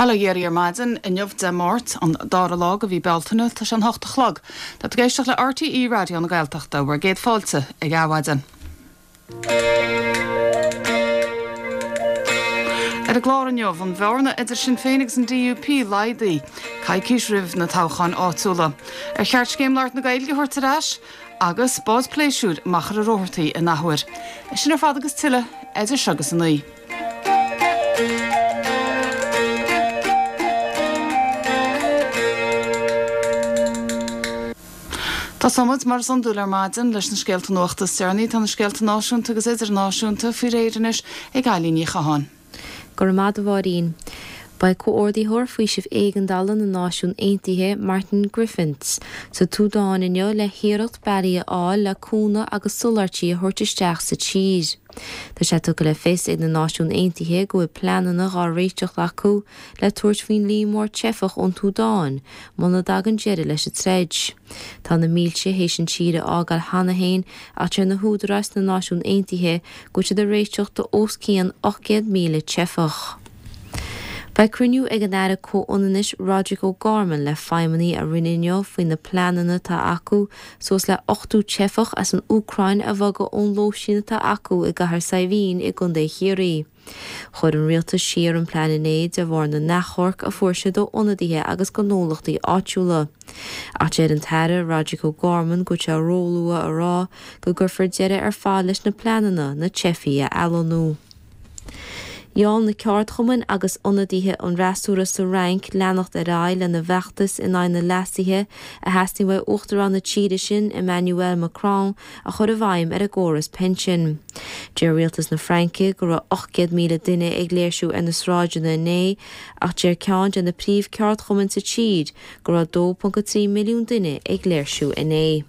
Bail ó Dhia oraibh ar maidin inniu Dé Máirt, an dara lá de mhí Bealtaine, tá sé an hocht a chlog. Tá tú ag éisteacht le RTÉ Raidió na Gaeltachta, bhur gcéad fáilte ag Adhmhaidin. Ar an gclár inniu, an bhearna idir Sinn Féin agus an DUP laghdaithe, coicís roimh na toghcháin áitiúla. Ar cheart Scéim Labhairt na Gaeilge a thabhairt ar ais? Agus bád pléisiúir Machaire Rabhartaigh in athuair. Sin ar fad agus tuilleadh, idir seo agus a naoi. Tosóimid, mar is iondúil ar maidin, leis na scéalta nuachta is deireanaí. Tá na scéalta náisiúnta agus idirnáisiúnta faoi réir anois ag Eilín Ní Chatháin. Go raibh maith agat a Mháirín. Beidh Comhordaitheoir Faoisimh Éigeandála na Náisiún Aontaithe, Martin Griffiths, sa tSúdáin inniu le hiarracht bealaí a fháil le cúnamh agus soláthairtí a thabhairt isteach sa tír. Tá sé tugtha le fios ag na Náisiúin Aontaithe go bhfuil pleananna dhá réiteach acu le tabhairt faoin líon mór teifeach ón tSúdáin muna dtagann deireadh leis an troid. Tá na mílte théis an tír a fhágáil cheana féin ach deir na húdaráis sna Náisiúin Aontaithe go bhfuil siad ag réiteach do os cionn 800,000 teifeach. Beidh cruinniú ag an Aire Comhionannais Roderic O'Gorman le feidhmeannaigh a Roinne inniu faoi na pleananna atá acu suas le 80 teifeach as an Úcráin a bhogadh ón lóistín atá acu i gCathair Saidhbhín i gContae Chiarraí. Chuir an rialtas siar an plean inné de bharr na n-achomharc a fuair siad ó ionadaithe agus gnólachtaí áitiúla. Ach deir an tAire Roderic O'Gorman go bhfuil sé róluath a rá go gcuirfear deireadh ar fad leis na pleananna na teifigh a athlonnú. Gheall na ceardchumainn agus ionadaithe an fhreasúra sa Fhrainc leanacht ar aghaidh lena bhfeachtas in aghaidh na leasuithe a theastaíonn uaidh Uachtarán na tíre sin, Emmanuel Macron, a chur i bhfeidhm ar an gcóras pinsin. Deir rialtas na Fraince go raibh 800,000 duine ag léirsiú ar na sráideanna inné ach deir ceann de na príomh-cheardchumainn sa tír go raibh 2.3 milliún duine ag léirsiú inné.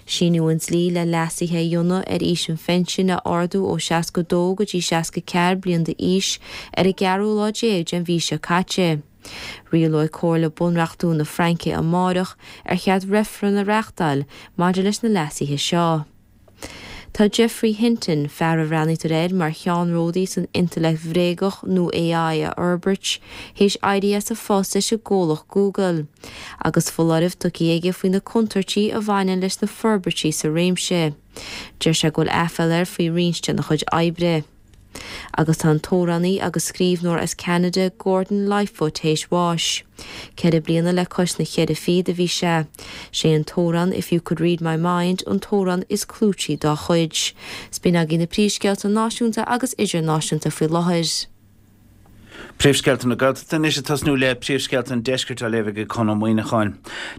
Síníodh an dlí le leasuithe a dhéanamh ar aois an phinsin a ardú ó 62 go dtí 64 bliain d'aois ar an gceathrú lá déag den mhí seo caite. Rialóidh Comhairle Bunreachtúil na Fraince amáireach ar cheart reifreann a reáchtáil maidir leis na leasuithe seo. Tá Geoffrey Hinton, fear a bhreathnaítear air mar cheannródaí san intleacht bhréagach nó AI a fhorbairt, théis éirí as a phost leis an gcomhlacht Google, agus foláireamh tugtha aige faoi na contúirtí a bhaineann leis na forbairtí sa réimse. Deir sé go bhfuil aiféala air faoi roinnt dena chuid oibre. Agus tá an t-amhránaí agus scríbhneoir as Ceanada Gordon Lightfoot théis bháis. Ceithre bliana le cois na cheithre fichead a bhí sé. Sé an t-amhrán If You Could Read My Mind an t-amhrán is clúití dá chuid. 'S b'in agaibh na príomhscéalta náisiúnta agus idirnáisiúnta faoi láthair. Príomhscéalta na Gaeltachta anois ag tosnú le príomhscéalta an deiscirt á léamh ag Conn Ó Muíneacháin.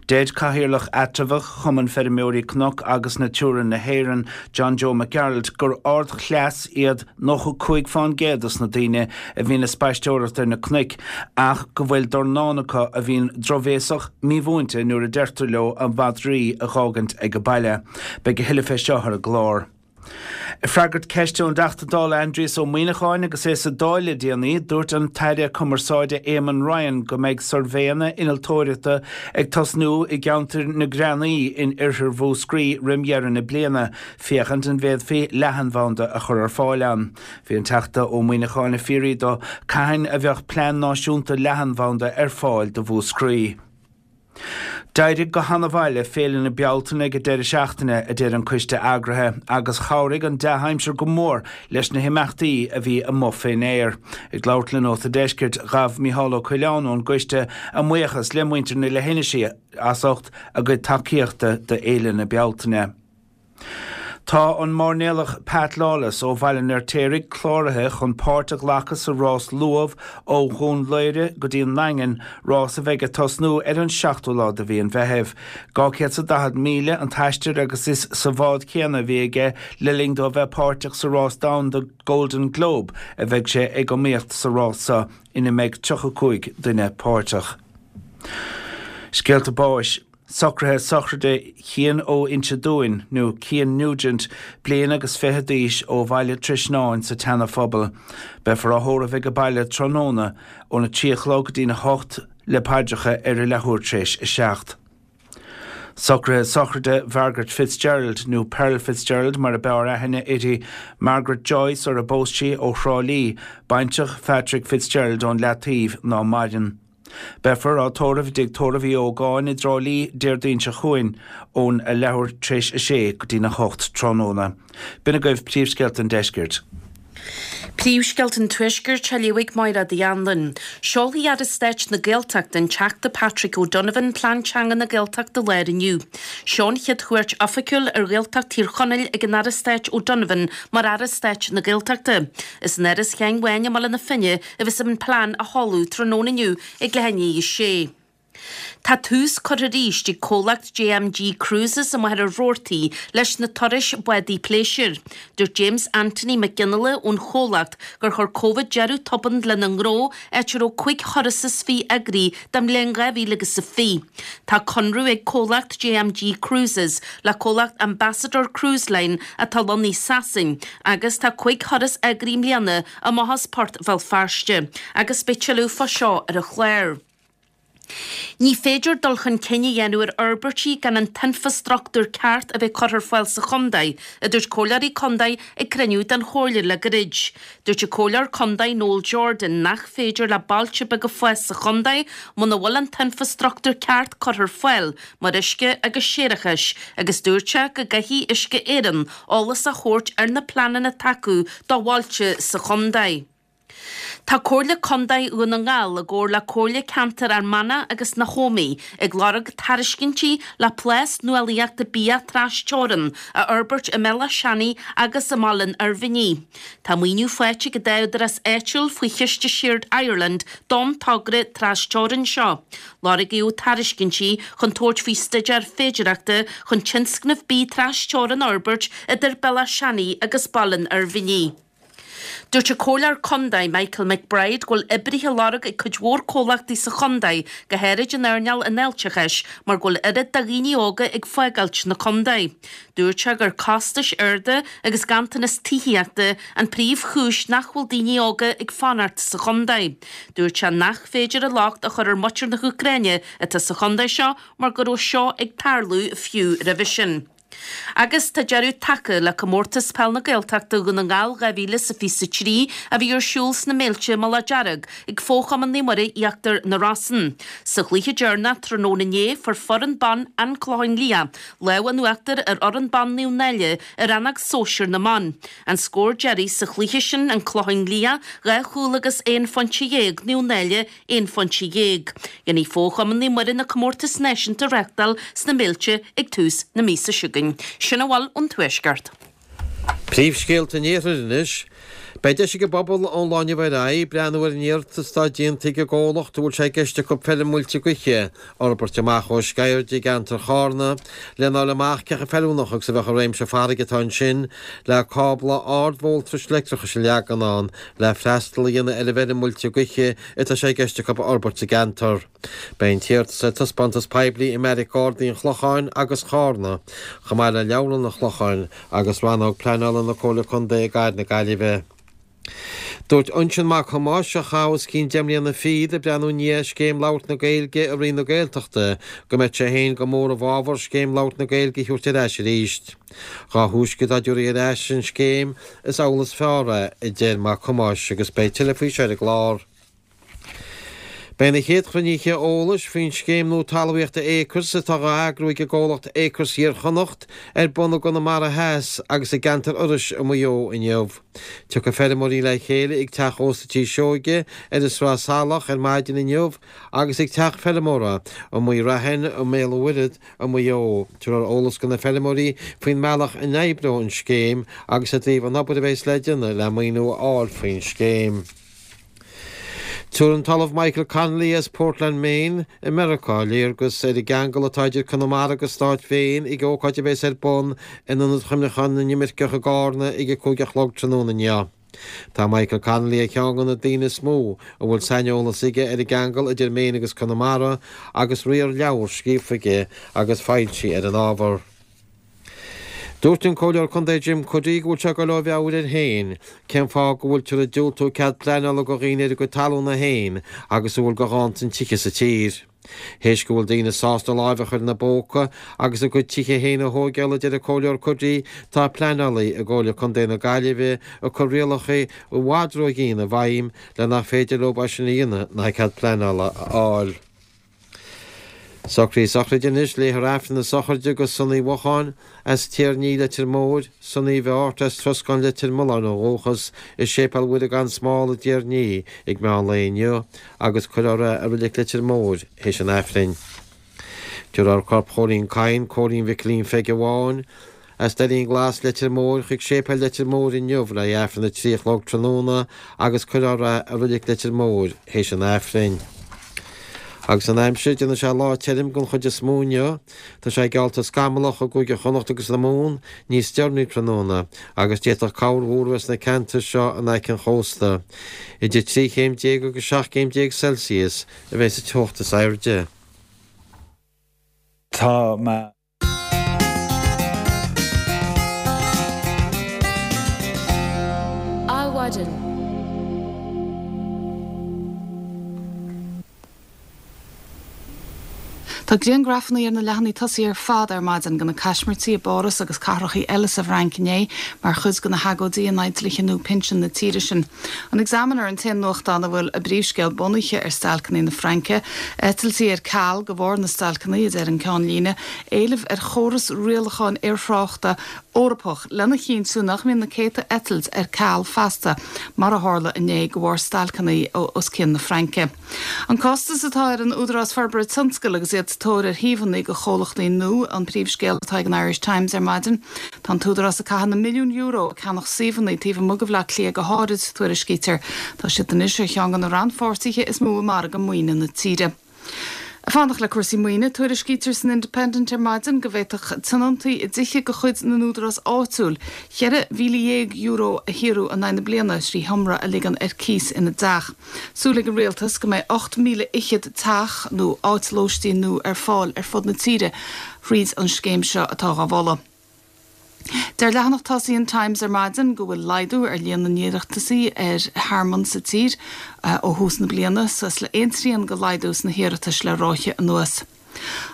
Deir Cathaoirleach Eatramhach Chumann Feirmeoirí Cnoc agus Natura na hÉireann, John Joe Mac Gearailt, gur ardchleas iad 95 fán gcéad dos na daoine a bhíonn ag spaisteoireacht ar na cnoic ach go bhfuil dornán acu a bhíonn drochbhéasach, mímhúinte nuair a deirtear leo a madraí a dh'fhágaint ag baile. Beidh a thuilleadh fé seo ar an gclár. Ag freagairt ceiste ón dTeachta Dála Aindrias Ó Muíneacháin agus é sa Dáil le déanaí, dúirt an tAire Cumarsáide Éamon Ryan go mbeidh suirbhéanna innealtóireachta ag tosnú i gceantar na Greanaí in oirthear Mhúscraí roim dheireadh na bliana féachaint an bhféadfaí leathanbhanda a chur ar fáil ann. Bhí an Teachta Ó Muíneacháin ag fiafraí dó cathain a bheadh plean náisiúnta leathanbhanda ar fáil do Mhúscraí. D'éirigh go han-mhaith le Féile na Bealtaine ag an deireadh seachtaine, a deir an coiste eagraithe, agus chabhraigh an dea-aimsir go mór leis na himeachtaí a bhí amuigh fén aer. Ag labhairt le Nós an Deiscirt, ghabh Micheál Ó Coileáin ón gcoiste a mbuíochas le muintir na leithinisí as ucht a gcuid tacaíochta do Fhéile na Bealtaine. Tá an mairnéalach Pat Lawless ó Bhaile an Fheirtéaraigh cláraithe chun páirt a ghlacadh sa rás luamh ó Dhún Laoghaire go dtí an nDaingean, rás a bheidh ag tosnú ar an seachtú lá de mhí an Mheithimh. 240 míle an t-aistear agus is sa bhád céanna a bhí aige le linn dó a bheith páirteach sa rás domhanda Golden Globe a bheidh sé ag iomaíocht sa rás seo ina mbeidh 35 duine páirteach. Scéalta báis. Socruithe sochraide Chian ó Inse Dúin, nó Cian Nugent, bliain agus fiche d'aois ó Bhaile Trasnáin sa tSeana Phobal. Beifear á thórramh ag baile tráthnóna óna 3 a chlog go dtína 8 le paidreacha ar a leathuair tréis a 7. Socruithe sochraide Mhargaret Fitzgerald, nó Pearl Fitzgerald mar a b'fhearr aithne uirthi, Margaret Joyce sar a bpós sí, ó Thrá Lí, baintreach Phatrick Fitzgerald ón Leataoibh, ná maireann. Beifear á tórramh i dTigh Tórraimh Uí Ógáin i dTrá Lí Déardaoin seo chugainn ón a leathuair tar éis a sé go dtí'n a hocht tráthnóna. B'in agaibh príomhscéalta an deiscirt. Príomhscéalta an Tuaiscirt á léamh ag Máire Uí Anluain. Seolfaidh Aire Stáit na Gaeltachta, an Teachta Patrick O'Donovan, Plean Teanga na Gaeltachta láir inniu. Seo an chéad chuairt oifigiúil ar Ghaeltacht Thír Chonaill ag an Aire Stáit O'Donovan mar Aire Stáit na Gaeltachta. Is in Áras Sheáin Bháin i mBaile na Finne a bheas an plean á sheoladh tráthnóna inniu ag leath i ndiaidh a sé. Tá tús curtha arís ag comhlacht JMG Cruises i Machaire Rabhartaigh leis na turais bádaí pléisiúir. Dúirt James Anthony Mac Fhionnghaile ón chomhlacht gur chuir Covid deireadh tobann lena ngnó áit a raibh cúig thuras is fiche eagraithe don mbliain 2020. Tá conradh ag comhlacht JMG Cruises le comhlacht Ambassador Cruise Line atá lonnaithe i Sasain agus tá cúig thuras eagraithe i mbliana amach as Port Bhéal Feirste agus beidh tuilleadh fá seo ar an chlár. Ní féidir dul chun cinn a dhéanamh ar fhorbairtí gan an t-infreastruchtúr ceart a bheith curtha ar fáil sa chontae, a dúirt comhairleoirí contae ag cruinniú den chomhairle le gairid. Dúirt an comhairleoir contae Noel Jordan nach féidir le bailte beaga fás sa chontae muna bhfuil an t-infreastruchtúr ceart curtha ar fáil, mar uisce agus séarachais, agus dúirt sé go gcaithfidh Uisce Éireann eolas a thabhairt ar na pleananna atá acu do bhailte sa chontae. Tá Comhairle Contae Dhún na nGall i gcomhar le Comhairle Ceantair Fhear Manach agus na hÓmaí ag lorg tairiscintí le plás nuálaíochta bia tras-teorann a fhorbairt i mBéal Átha Seanaidh agus i mBaile an Oirmhinnigh. Tá maoiniú faighte ag an dá údarás áitiúil faoi chiste Shared Ireland don togra tras-teorann seo. Lorgaíodh tairiscintí chun tabhairt faoi staidéar féidearthachta chun tionscnamh bídh tras-teorann a fhorbairt idir Béal Átha Seanaidh agus Baile an Oirmhinnigh. Dúirt an Comhairleoir Contae Michael McBride go bhfuil oibrithe á lorg ag cuid mhór comhlachtaí sa chontae, go háirid in earnáil an fháilteachais, mar go bhfuil oiread de dhaoine óga ag fágáilt na contae. Dúirt sé gur costais arda agus ganntanas tithíochta an príomhchúis nach bhfuil daoine óga ag fanacht sa chontae. Dúirt sé nach féidir an locht a chur ar mhuintir na hÚcráine atá sa chontae seo mar go raibh seo ag tarlú fiú roimhe sin. Agus tá deireadh tagtha le Comórtas Peil na Gaeltachta Dhún na nGall 2023 a bhí ar siúl sna Méilte i Mullach Dearg ag Fo-Chumann Naomh Muire Íochtar na Rosann. Sa chluiche deireanach tráthnóna inné fuair foireann ban An Clochán Liath lámh in uachtar ar fhoireann ban Naomh Náille i rannóg sóisir na mban. An scór deiridh sa chluiche sin An Clochán Liath 2 chúl agus 11 phointe, Naomh Náille 11 phointe. Déanfaidh Fo-Chumann Naomh Muire na comórtais náisiúnta a reáchtáil sna Méilte ag tús na míosa seo chugainn. Sin a bhfuil ón Tuaisceart. Príomhscéalta an Iarthair anois. Beidh deis ag an bpobal ón lá inniu ar aghaidh breathnú ar an iarratas atá déanta ag an gcomhlacht a bhfuil sé i gceist acu feirm muilte gaoithe a fhorbairt amach ó Sceird i gceantar Chárna lena fháil amach cé chomh feiliúnach agus a bheadh an réimse farraige atá ansin le cábla ardvoltais leictreachais a leagan ann le freastal a dhéanamh ar an bhfeirm muilte gaoithe atá sé i gceist acu a fhorbairt sa gceantar. Beidh an t-iarratas ar taispeántas poiblí i mBeairic Gardaí an Chlocháin agus Chárna, chomh maith le Leabharlann an Chlocháin agus Rannóg Pleanála na Comhairle Contae i gCathair na Gaillimhe. Dúirt Uinseann Mac Thomáis, a chaith os cionn deich mbliana fichead ag breathnú i ndiaidh Scéim Labhairt na Gaeilge i Roinn na Gaeltachta, go mbeadh sé féin go mór i bhfabhar Scéim Labhairt na Gaeilge a thabhairt ar ais arís. Dhá thúisce dá dtabharfaí ar ais an scéim, is amhlaidh is fearr é, a deir Mac Thomáis agus beidh tuilleadh faoi seo ar an gclár. Beidh na chéad chruinnithe eolais faoin scéim nua talmhaíochta Acres atá á eagrú ag an gcomhlacht Acres Iar Chonnacht ar bun i gConamara Theas agus i gceantar Iorrais i Maigh Eo inniu. Tiocfaidh feirmeoirí le chéile ag Teach Ósta Tí Seoige ar an Sraith Salach ar maidin inniu agus ag Teach Feirmeora i Maigh Raithin i mBéal an Mhuirthead i Maigh Eo. Tabharfar eolas do na feirmeoirí faoin mbealach a n-oibreoidh an scéim agus i dtaobh an obair a bheas le déanamh le maoiniú a fháil faoin scéim. Tabharfaidh an tOllamh Michael Connolly as Portland, Maine i Meiriceá léargas ar an gceangal atá idir Conamara agus stát Mhaine ag ócáid a bheas ar bun in Ionad Chuimhneacháin na nImirceach i gCárna ag 5 a chlog tráthnóna inniu. Tá Michael Connolly ar cheann de na daoine is mó a bhfuil saineolas aige ar an gceangal idir Maine agus Conamara agus riar leabhar scríofa aige agus foilsithe ar an ábhar. Dúirt an Comhairleoir Contae Jim Cuddy go bhfuil sé ag dul ó mheabhair air féin cén fáth go bhfuiltear ag diúltú cead pleanála do dhaoine ar a gcuid talúna féin agus a bhfuil de dhántan tithe sa tír. Théis go bhfuil daoine sásta láimh a chur ina bpóca agus a gcuid tithe féin a thóigeáil, a deir an Comhairleoir Cuddihy, tá pleanálaí i gComhairle Contae na Gaillimhe ag cur rialacha i bhfad ródhian i bhfeidhm le nach féidir leo é sin a dhéanamh ná cead pleanála a fháil. Socruithe sochraide anois, Léifear Aifreann na sochraide do Sonaí Mhocháin as Tír Ní, Leitir Móir, Sonaí Mhic Airt as Troscán Leitir Mealláin ó dhúchas, i Séipéal Mhuire gan Smál i dTír Ní ag meán lae inniu agus cuirfear é i Reilig Leitir Móir théis an Aifrinn. Tabharfar corp Chóilín Kyne, Cóilín Mhicilín Pheige Bháin, As Doirín Glas, Leitir Móir, chuig Séipéal Leitir Móir inniu le haghaidh Aifreann a 3 a chlog tráthnóna agus cuirfear é i Reilig Leitir Móir théis an Aifrinn. Agus an aimsir, déanfaidh sé lá tirim den chuid is mó inniu. Tá sé geallta scamallach i gCúige Chonnacht agus na Mumhan níos deireanaí tráthnóna agus d'fhéadfadh corrmhúr a bheith sna ceantair seo in aice an chósta. Idir 13 chéim agus 17 céim Celsius a bheidh sa teocht is airde. Tá mé. Adhmhaidin. Tá griangrafanna ar na leathanaigh tosaigh ar fad ar maidin de na caismirtí i bPáras agus cathrachaí eile sa bhFrainc inné mar chuid de na hagóidí in aghaidh dlíthe nua pinsean na tíre sin. An Examiner an t-aon nuachtán a bhfuil a bpríomhscéal bunaithe ar stailceanna na Fraince. Eitiltí ar ceal de bharr na stailceanna, a deir an ceannlíne. Éileamh ar chóras rialacháin aerthráchta Eorpach lena chinntiú nach mbíonn na céadta eitilt ar ceal feasta mar a tharla inné de bharr stailceanna os cionn na Fraince. An costas atá ar an Údarás Forbartha Tionscail agus iad sa tóir ar shuíomhanna do chomhlachtaí nua an príomhscéal atá ag an Irish Times ar maidin. Tá an tÚdarás ag caitheamh na milliún euro ag ceannach suíomhanna taobh amuigh de Bhaile Átha Cliath go háirid, tuairiscítear. Tá siad anois ar cheann de na rannpháirtithe is mó i margadh maoine na tíre. Ag fanacht le cúrsaí maoine, tuairiscítear san Independent ar maidin go bhféadfadh tionóntaí i dtithe de chuid na n-údarás áitiúil €14,000 a shaothrú in aghaidh na bliana thrí sheomra a ligean ar cíos ina dteach. Súil ag an rialtas go mbeidh 8,000 fhichead teach nó áit lóistín nua ar fáil ar fud na tíre thríd an scéim seo atá dhá mholadh. Deir leathanach tosaigh an Times ar maidin go bhfuil laghdú ar líon na n-iarratasaí ar thearmann sa tír ó thús na bliana, suas le aon trian de laghdú sna hiarratais le ráithe anuas.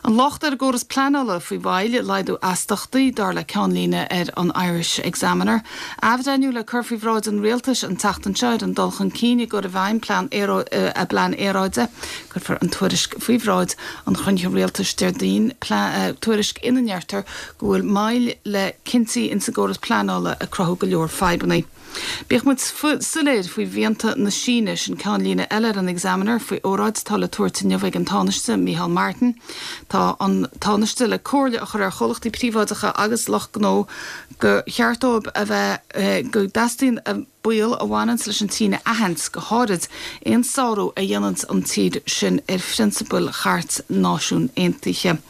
An locht ar an gcóras pleanála faoi mhoill i laghdú astachtaí, dar le ceannlíne ar an Irish Examiner. Athbhreithniú le cur faoi bhráid an rialtais an tseachtain seo ar an dul chun cinn i gcur i bhfeidhm a bplean aeráide. Cuirfear an tuairisc faoi bhráid an chruinnithe rialtais Déardaoin, tuairisc ina ndeirtear go bhfuil moill le cinntí insa gcóras pleanála ag cruthú go leor fadhbanna. Bíodh muid soiléir faoi mhianta na Síne, sin ceannlíne eile ar an Examiner faoi óráid atá le tabhairt inniu ag an Tánaiste, Micheál Martin. Tá an Tánaiste le comhairle a chur ar chomhlachtaí príobháideacha agus lucht gnó gur cheart dóibh a bheith go dteastaíonn a baol a bhaineanns leis an tSín a aithint, go háirid aon sárú a dhéananns an tír sin ar phrionsabail Chairt Náisiún Aontaithe.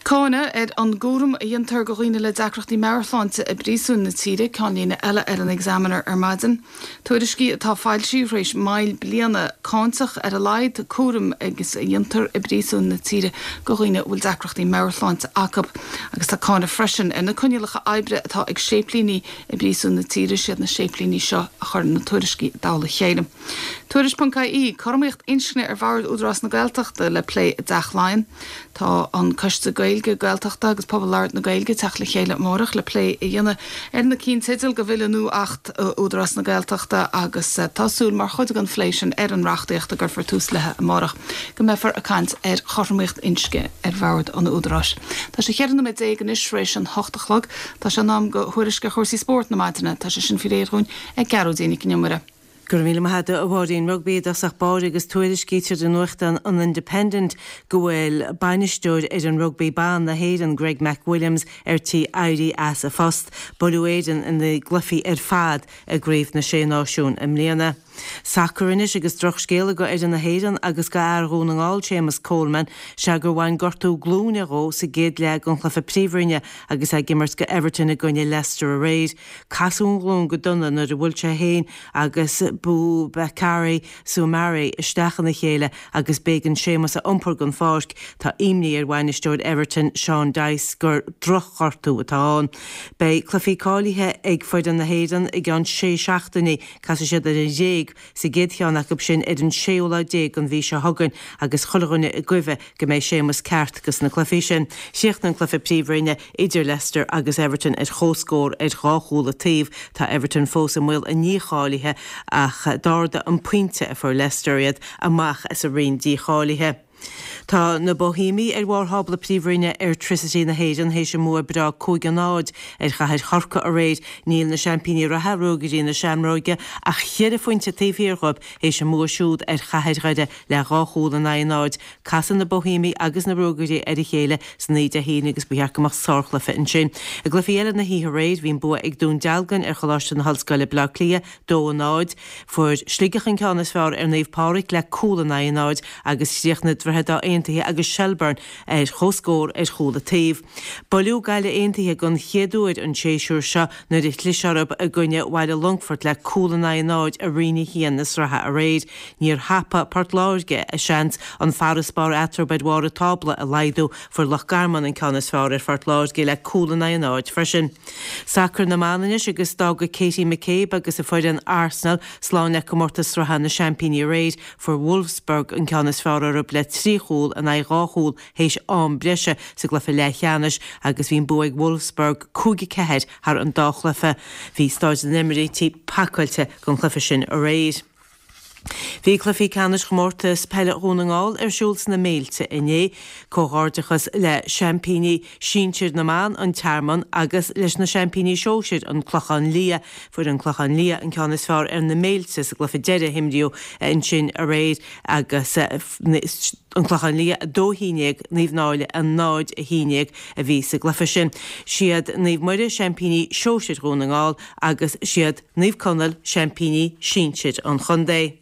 Cáineadh ar an gcúram a dhéantar do dhaoine le deacrachtaí meabhairshláinte i bpríosúin na tíre, ceannlíne eile ar an Examiner ar maidin. Tuairiscí atá foilsithe tar éis moill bliana cáinteach ar a laghad cúraim agus a dhéantar i bpríosúin na tíre do dhaoine a bhfuil deacrachtaí meabhairshláinte acu. Agus tá cáineadh freisin ar na coinníollacha oibre atá ag séiplíní I bpríosúin na tíre, siad na séiplíní seo a chuireann na tuairiscí i dtoll a chéile. Tuairisc.ie, Cothromaíocht inscne ar bhord Údarás na Gaeltachta le plé i dTeach Laighean. Tá an Coiste Gaeilge, Gaeltachta agus Pobal Labhartha na Gaeilge ag teacht le chéile amárach le plé a dhéanamh ar na cinnteidil do bhille nua Acht Údarás na Gaeltachta agus tá súil mar chuid den phlé sin ar an reachtaíocht a gcuirfear tús léi amárach go mbeifear ag caint ar chothromaíocht inscne ar bhord an Údaráis. Tá sé 14 nóiméad anois tar éis an hocht a chlog. Tá sé in am do thuairisc ar chúrsaí spóirt na maidine. Tá sé sin faoi réir dhúinn ag Gearóidín Nic an Iomaire. Go raibh míle maith agat a Mháirín. Rugbaí i dtosach báire agus tuairiscítear i nuachtán an Independent go bhfuil bainisteoir fhoireann rugbaí ban na hÉireann, Greg McWilliams, ar tí éirí as a phost. Buaileadh Éirinn ina gcluichí ar fad i gCraobh na Sé Náisiún i mbliana. Sacar anois agus drochscéala go fhoireann na hÉireann agus go fhear Dhún na nGall, Séamus Coleman, sea gur bhain gortú glúine dhó sa gcéad leath den chluiche Príomhroinne agus é ag imirt go Everton i gcoinne Leicester aréir. Casadh an ghlúin go dona nuair a bhuail sé féin agus Boubakary Soumare isteach ina chéile agus b'éigean Séamus a iompar den pháirc. Tá imní ar bhainisteoir Everton, Sean Dyche, gur drochghortú atá ann. Beidh cluichí cáilithe ag foireann na hÉireann i gceann sé seachtainí. Casfaidh siad ar an Ghréig. Sa gcéad cheann acu sin ar an séú lá déag den mhí seo chugainn agus chuile dhuine i gcuimhe go mbeidh Séamus ceart dos na cluichí sin. Chríochnaigh an cluiche Príomhroinne idir Leicester agus Everton ar chomhscór ar dhá chúl an taobh. Tá Everton fós i mbaol a ndícháilithe ach d'ardaigh an pointe a fuair Leicester iad amach as an roinn dícháilithe. Tá na Boihéamaigh ar bharr thábla Príomhroinne Airtricity na hÉireann théis a mbua breá 5 a 0 ar chathair Chorcaí aréir. Níl na seaimpíní reatha, Ruagairí na Seamróige, ach cheithre phointe taobh thiar dhóibh théis a mbua siúd ar chathair Dhoire le dhá chúl in aghaidh a náid. Casfaidh na Boihéamaigh agus na Ruagairí ar a chéile san oíche Dé hAoine agus ba cheart go mbeadh sárchluiche ansin. I gcluichí eile na hoíche aréir, bhí an bua ag Dún Dealgan ar Choláiste na hOllscoile, Baile Átha Cliath, 2, 0. Fuair Sligeach an ceann is fearr ar Naomh Pádraig le cúl in aghaidh a náid agus chríochnaigh Droichead Átha Aontaithe agus Shelbourne ar comhscór ar chúl an taobh. Buaileadh Gaillimh Aontaithe den chéad uair an séasúr seo nuair a chlis orthu i gcoinne Bhaile Longfoirt le cúl in aghaidh a náid i Roinn 1 na sraithe aréir. Níor thapaigh Port Láirge a seans an farasbarr eatarthu ar bharr an tábla a laghdú. Fuair Loch Garman an ceann is fearr ar Phort Láirge le cúl in aghaidh a náid freisin. Sacar na mban anois agus d'fhága Katie McCabe agus a foireann Arsenal slán le comórtas sraithe na seaimpíní aréir. Fuair Wolfsburg an ceann is fearr orthu le 3 chúl in aghaidh 2 chúl théis am breise sa gcluiche leathcheannais agus bhí an bua ag Wolfsburg 5 4 thar an dá chluiche. Bhí Staid na nEimíríti pacáilte don chluiche sin aréir. Bhí cluichí ceannais chomórtas peile Dhún na nGall ar siúl sna Méilte inné. Comhghairdeachas le seaimpíní sinsir na mban, An Tearmann, agus leis na seaimpíní sóisir, An Clochán Liath. Fuair An Clochán Liath an ceann is fearr ar na Méilte sa gcluiche deiridh a himríodh ansin aréir agus An Clochán Liath 2 11, Naomh Náille 0 11 a bhí sa gcluiche sin. Siad Naomh Muire seaimpíní sóisir Dhún na nGall agus siad Naomh Conaill, seaimpíní sinsir an chontae.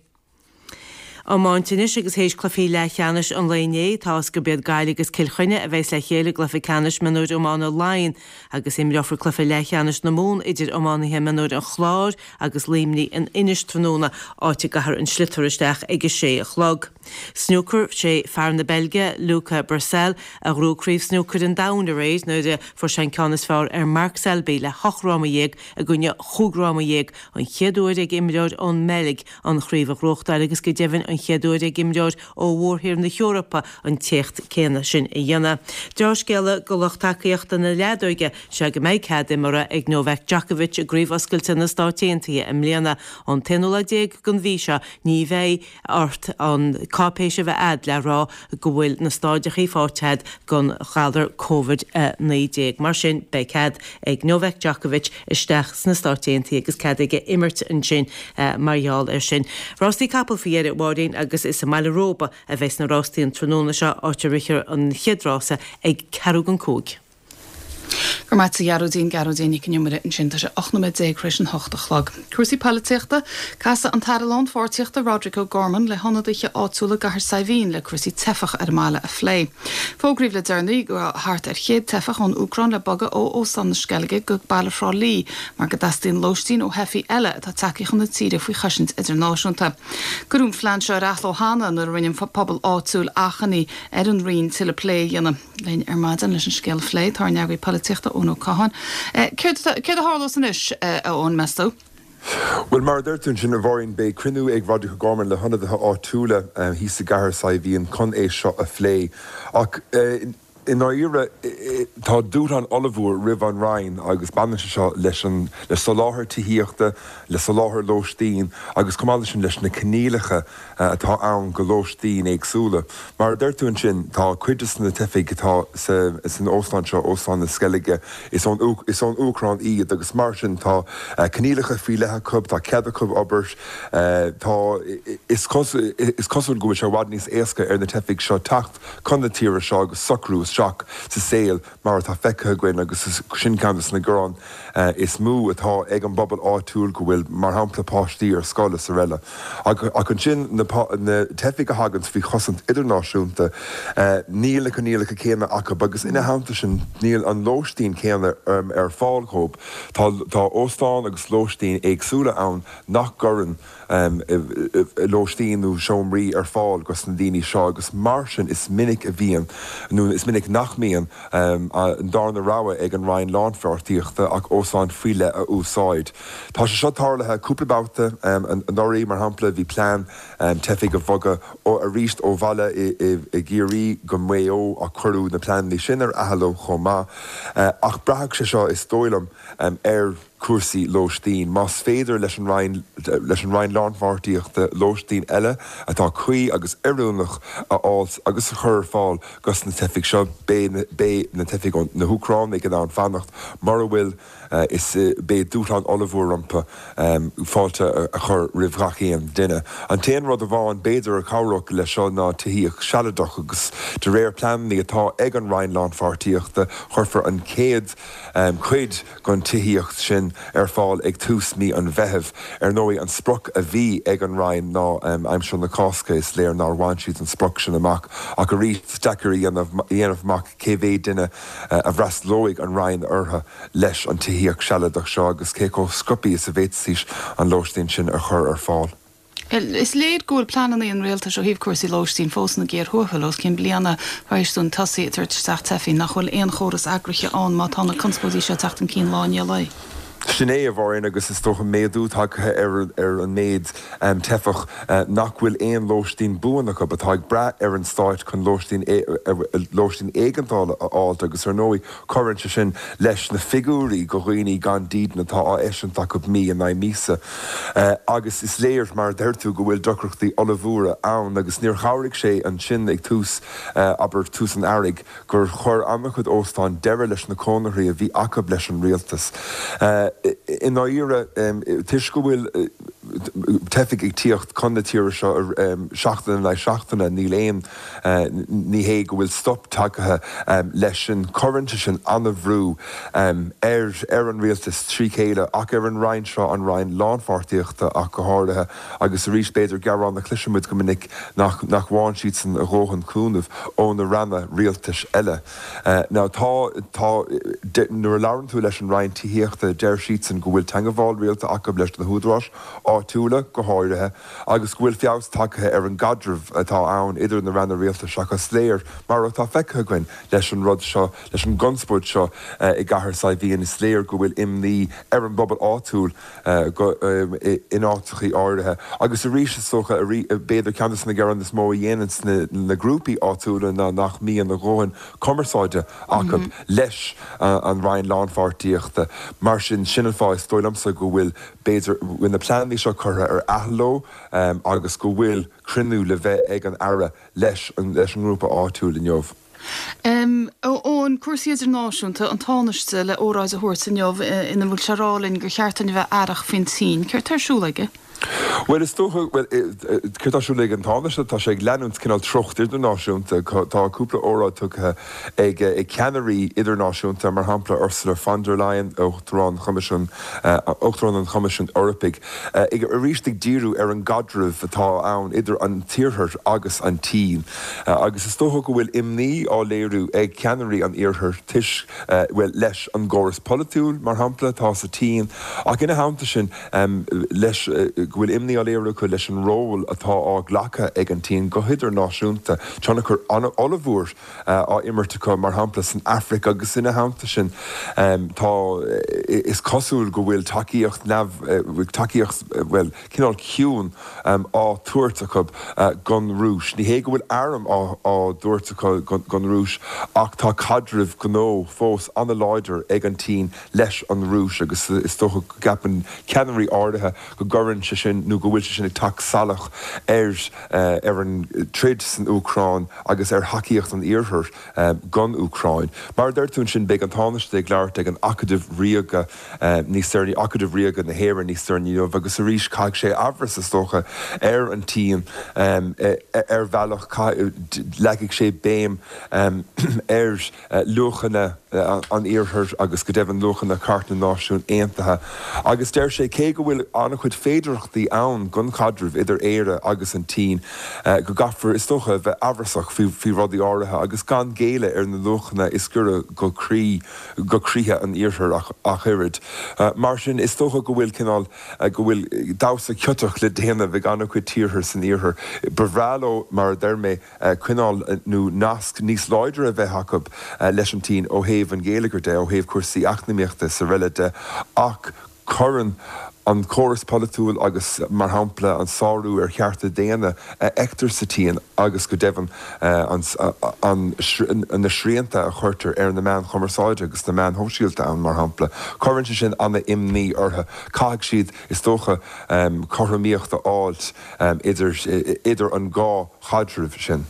Iomáint anois agus théis cluichí leathcheannais an lae inné, tá fhios gurb iad Gaillimh agus Cill Chainnigh a bheas le chéile i gcluiche ceannais mionúir iomána Laighean agus imreofar cluiche leathcheannais na Mumhan idir iománaithe mionúir an Chláir agus Luimnigh in Inis tráthnóna, áit a gcaithfear an sliotar isteach ag a sé a chlog. Snúcar, Sé fear na Beilge, Luca Brecel, a ghnóthaigh Craobh Snúcair an Domhain aréir nuair a fuair sé an ceann is fearr ar Mark Selby le hocht fhráma dhéag i gcoinne chúig fhráma dhéag, an chéad uair ag imreoir ón mBeilg an chraobh a ghnóthachtáil agus go deimhin an chéad uair ag imreoir ó mhórthír na hEorpa an t-éacht céanna sin a dhéanamh. Deá-scéala do lucht tacaíochta na leadóige is ea go mbeidh cead imeartha ag Novak Djokovic i gCraobh Oscailte na Stát Aontaithe i mbliana. Ón t-aonú lá déag den mhí seo ní bheidh ort an cáipéis a bheith a'd le rá go bhfuil na stáideachaí faighte a'd den ghalar Covid-19. Mar sin, beidh cead ag Novak Djokovic isteach sna Stáit Aontaithe agus cead aige imirt ansin mar gheall air sin. Rástaí capall faoi dheireadh, a Mháirín, agus is i mBaile Róba a bheas na rástaí an tráthnóna seo, áit a rithfear an chéad rása ag ceathrú don cúig. Go raibh maith a't a Ghearóidín, Gearóidín Nic an Iomaire ansin. Tá sé 18 nóiméad tar éis an hocht a chlog. Cúrsaí poilitíochta, Casfaidh an tAire Lánpháirtíochta Roderic O'Gorman le hionadaithe áitiúla i gCathair Saidhbhín le cúrsaí teifeach ar an mbaile a phlé. Fógraíodh le deireanaí go raibh thart ar chéad teifeach ón Úcráin le bogadh ó Óstán na Sceilge go baile Thrá Lí mar go dteastaíonn lóistín ó theifigh eile atá tagtha chun na tíre faoi chosaint idirnáisiúnta. Cuireadh an phlean seo ar athló cheana nuair a rinne an pobal áitiúil achainí ar an Roinn tuilleadh plé a dhéanamh. Linn ar maidin leis an scéal a phlé, tá ár n-eagraí polaitíochta, Eoin Ó Catháin. Céard a tharlós anois, a Eoin, meas tú? Bhuel, mar a deir tú ansin, a Mháirín, beidh cruinniú ag Roderic O'Gorman le hionadaithe áitiúla thíos i gCathair Saidhbhín chun é seo a phlé. Ach i ndáiríre, tá dúshlán ollmhór roimh an Roinn agus baineann sé seo leis an le soláthar tithíochta, le soláthar lóistín agus chomh maith leis sin leis na coinníollacha atá ann go lóistín éagsúla. Mar a deir tú ansin, tá cuid de na teifigh atá san óstán seo, Óstán na Sceilge, is ón is ón Úcráin iad agus mar sin tá coinníollacha faoi leith acu, tá cead acu obair, tá is is cosúil go bhfuil sé i bhfad níos éasca ar na teifigh seo teacht chun na tíre seo agus socrú isteach sa saol mar atá feicthe againn agus sin ceann de na gearáin is mó atá ag an bpobal áitiúil go bhfuil, mar shampla, páistí ar scoil is araile. Ach ansin na teifigh a thaganns faoi chosaint idirnáisiúnta, níl na coinníollacha céanna acu agus ina theannta sin níl an lóistín céanna ar fáil dhóibh. Tá óstáin agus lóistín éagsúla ann nach gcuireann lóistín nó seomraí ar fáil dos na daoine seo agus mar sin is minic a bhíonn, nó is minic. minic nach mbíonn an darna rogha ag an Roinn Lánpháirtíochta ach óstán faoi leith a úsáid. Tá sé seo tarlaithe cúpla babhta anuraidh, mar shampla, bhí plean teifigh a bhogadh arís ó bhaile i gCiarraí go Maigh Eo ach cuireadh na pleananna sin ar athló chomh maith. Ach braithfidh sé seo, is dóigh liom, ar chúrsaí lóistín. Más féidir leis an Roinn leis an Roinn Lánpháirtíochta lóistín eile atá cuí agus oiriúnach a fháilt agus a chur ar fáil dos na teifigh seo, beidh beidh na teifigh ó na hÚcránaigh in ann fanacht mura bhfuil is beidh dúshlán ollmhór rompu fáilte a chur roimh ghach aon duine. An t-aon rud amháin b'fhéidir a chabhródh leis seo ná tithíocht shealadach agus de réir pleananna atá ag an Roinn Lánpháirtíochta chuirfear an chéad chuid den tithíocht sin ar fáil ag tús mí an Mheithimh. Ar ndóigh an sprioc a bhí ag an Roinn ná aimsir na Cásca, is léir nár bhain siad an sprioc sin amach ach arís is deacair a dhéanamh amach cé mhéad duine a bhfreastalóidh an Roinn orthu leis an tithíocht shealadach seo agus cé chomh sciobtha is a bhféadfaidís an lóistín sin a chur ar fáil. Is léir go bhfuil pleananna an rialtais ó thaobh cúrsaí lóistín fós ina gcíor thuathail os cionn bliana tar éis dúinn tosaí ag tabhairt isteach teifigh, nach bhfuil aon chóras eagraithe ann má tá na conspóidí seo ag teacht chun cinn lá i ndiaidh lae. Sin é, a Mháirín, agus is dócha méadú tagtha ar an méid teifeach nach bhfuil aon lóistín buan acu, atá ag brath ar an stáit chun lóistín lóistín éigeandála a fháilt agus ar ndóigh cuireann sé sin leis na figiúirí go dhaoine gan dídean atá á eisiúint acu mí in aghaidh míosa. Agus is léir, mar a deir tú, go bhfuil deacrachtaí ollmhóra ann agus níor chabhraigh sé ansin ag tús, abair, tús an earraigh, gur chuir an-chuid óstán deireadh leis na conarthaí a bhí acu leis an rialtas. I ndáiríre, toisc go bhfuil teifigh ag tíocht chun na tíre seo seachtain in aghaidh seachtaine, níl aon, ní hé go bhfuil stop tagtha leis sin. Cuireann sé sin an-bhrú ar ar an rialtas trí chéile ach ar an Roinn seo, an Roinn Lánpháirtíochta ach go háirithe. Agus arís, b'fhéidir gearán a chloiseann muid go minic nach nach bhfaigheann siadsan a dhóthain cúnaimh ó na ranna rialtais eile. Now tá, tá, nuair a labhrann tú leis an Roinn Tithíochta, deir siadsan go bhfuil teangabháil rialta acu leis na húdaráis áitiúla go háirithe agus go bhfuil feabhas tagtha ar an gcaidreamh atá ann idir na ranna rialtais ach is léir, mar atá feicthe againn leis an rud seo, leis an gconspóid seo i gCathair Saidhbhín, is léir go bhfuil imní ar an bpobal áitiúil in áiteachaí áirithe. Agus arís, is dócha, b'fhéidir ceann de na gearáin is mó a dhéananns na grúpaí áitiúla ná nach mbíonn a dhóthain cumarsáide acu leis an Roinn Lánpháirtíochta. Mar sin, sin an fáth, is dóigh liomsa, go bhfuil, b'fhéidir, bhfuil na pleananna seo curtha ar athló agus go bhfuil cruinniú le bheith ag an Aire leis an ngrúpa áitiúil inniu. Eoin, cúrsaí idirnáisiúnta, an Tánaiste le óráid a thabhairt inniu ina bhfuil sé ag rá linn gur cheart dúinn a bheith aireach faoin tSín. Céard tá ar siúl aige? Bhuel, is dócha, bhuel, céard tá ar siúl ag an Tánaiste? Tá sé ag leanúint cineál treocht idirnáisiúnta. Tá cúpla óráid tugtha ag ceannairí idirnáisiúnta, mar shampla Ursula von der Leyen, Uachtarán Choimisiún, Uachtarán an Choimisiúin Eorpaigh, ag arís ag díriú ar an gcaidreamh atá ann idir an tIarthar agus an tSín. Agus is dócha go bhfuil imní á léiriú ag ceannairí an Iarthair toisc, bhuel, leis an gcóras polaitiúil, mar shampla, atá sa tSín, ach ina theannta sin, leis, go bhfuil imní á léiriú acu leis an ról atá á ghlacadh ag an tSín go hidirnáisiúnta, tionchar an-ollmhór á imirt acu, mar shampla, san Afraic agus ina theannta sin, tá, is cosúil go bhfuil tacaíocht neamh, tacaíocht, bhuel, cineál ciúin á tabhairt acu don Rúis. Ní hé go bhfuil airm á dtabhairt acu don Rúis ach tá caidreamh gnó fós an-láidir ag an tSín leis an Rúis agus is dócha go gceapann ceannairí áirithe go gcuireann sé sin nó go bhfuil sé sin ag teacht salach ar ar an troid san Úcráin agus ar thacaíocht an Iarthair don Úcráin. Mar a deir tú ansin beidh an Tánaiste ag labhairt ag an Acadamh Ríoga níos deireanaí, Acadamh Ríoga na hÉireann níos deireanaí inniu agus arís caithfidh sé amhras, is dócha, ar an tSín ar bhealach, leagfaidh sé béim ar luachanna an Iarthair agus go deimhin luachanna Chairt na Náisiún Aontaithe agus deir sé cé go bhfuil an-chuid féidearthachtaí. impleachtaí ann don chaidreamh idir Éire agus an tSín, go gcaithfear, is dócha, a bheith amhrasach faoi rudaí áirithe agus gan géilleadh ar na luachanna is giorra go croí, go croíthe an Iarthair ach oiread. Mar sin, is dócha go bhfuil cineál, go bhfuil damhsa ciotach le déanamh ag an-chuid tíortha san Iarthar. Ba bhreá leo, mar a deir mé, coinneáil nó nasc níos láidre a bheith acu leis an tSín ó thaobh an gheilleagair de, ó thaobh cúrsaí eacnamaíochta is araile de, ach cuireann an córas polaitiúil agus, mar shampla, an sárú ar chearta daonna a fheictear sa tSín agus, go deimhin, an na srianta a chuirtear ar na meáin chumarsáide agus na meáin shóisialta ann, mar shampla, cuireann sé sin an-imní orthu. Caithfidh siad, is dócha, cothromaíocht a fháilt idir an dhá chaidreamh sin.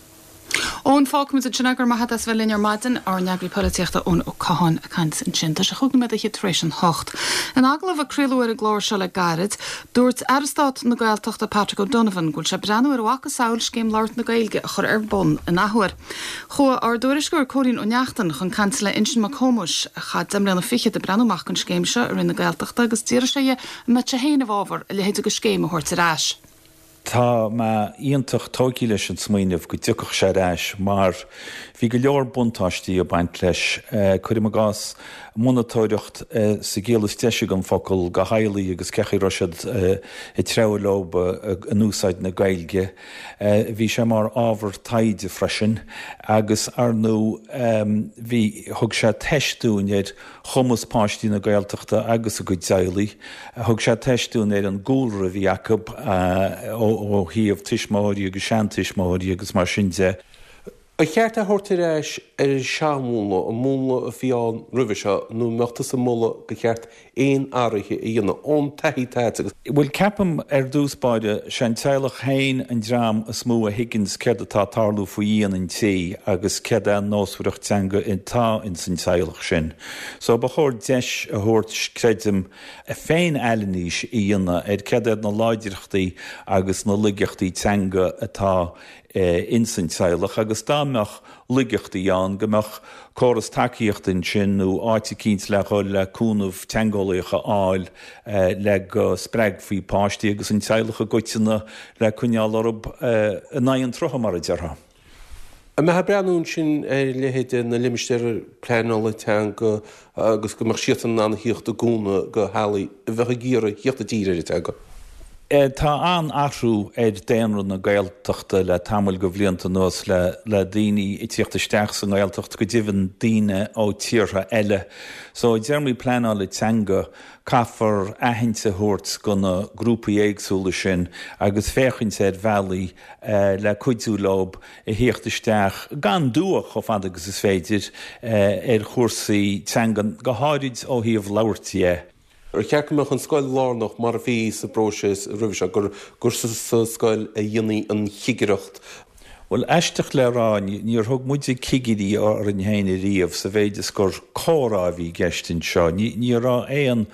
Eoin, fágfaimid ansin é, go raibh maith agat as a bheith linn ar maidin, ár n-eagraí polaitíochta Eoin Ó Catháin ag caint ansin. Tá sé chúig nóiméad fhichead tar éis an hocht. In agallamh a craoladh ar an gclár seo le gairid, dúirt Aire Stáit na Gaeltachta Patrick O'Donovan go bhfuil sé ag breathnú ar a mhacasamhail Scéim Labhairt na Gaeilge a chur ar bun in athuair. Chuaigh ár dtuairisceoir Cóilín Ó Neachtain chun cainte le Uinseann Mac Thómais, a chaith deich mbliana fichead ag breathnú amach don scéim seo i Roinn na Gaeltachta agus d'fhiafraigh sé dhe an mbeadh sé féin i bhfabhar a leithéid de scéim a thabhairt ar ais. Tá mé iontach tógtha leis an smaoineamh go dtiocfadh sé ar ais mar bhí go leor buntáistí ag baint leis. Cuirim i gcás, monatóireacht sa gciall is deise den focal do theaghlaigh agus cé chaoi a raibh siad ag treabhadh leo in úsáid na Gaeilge. Bhí sé mar ábhar taighde freisin agus, ar ndóigh, bhí, thug sé teist dúinn ar chumas páistí na Gaeltachta agus a gcuid teaghlaigh. Thug sé teist dúinn ar an gcúlra a bhí acu ó thaobh tuismitheoirí agus seantuismitheoirí agus mar sin de. Ar cheart é a thabhairt ar ais ar an seanmhúnla, an múnla a bhí ann roimhe seo, nó an mbeadh tusa ag moladh gur cheart aon athruithe a dhéanamh ón taithí atá agat agus. Bhuel, ceapaim ar dtús báire, sé an teaghlach féin an dream is mó a thuigeanns céard atá ag tarlú faoi dhíon an tí agus céard é an nósmhaireacht teanga atá ins an teaghlach sin. So ba chóir deis a thabhairt, creidim, féin-anailís a dhéanamh ar céard iad na láidreachtaí agus na laigeachtaí teanga atá ins an teaghlach agus dá mbeadh laigeachtaí ann, go mbeadh córas tacaíochta ansin nó áit eicínt le dhul le cúnamh teangeolaíoch a fháil le go spreagfaí páistí agus an teaghlach i gcoitinne le coinneáil orthu in aghaidh an tsrutha, mar a déarfá. An mbeifeá ag breathnú ansin ar leithéid na limistéar pleanála teanga agus go mbeadh siadsan in ann a thíocht i gcúnamh do theaghlaigh a bheadh ag iarraidh thíocht i dtír ar an teanga? Tá an-athrú ar daonra na Gaeltachta le tamall de bhlianta anuas le le daoine ag tíocht isteach sa nGaeltacht, go deimhin daoine ó tíortha eile. So i dtéarmaí pleanála teanga, caithfear aithint a thabhairt go na grúpaí éagsúla sin agus féachaint ar bhealaí le cuidiú leo a thíocht isteach gan dua chomh fada agus is féidir ar chúrsaí teangan, go háirid ó thaobh labhairt dhe. Ar cheart go mbeadh an scoil lárnach mar a bhí sa bpróiseas roimhe seo, gur sa scoil a dhéanfaí an chigireacht? Bhuel, aisteach le rá, níor thug muide cigirí orainn féin ariamh sa mhéid is gur comhrá a bhí i gceist anseo. Ní raibh aon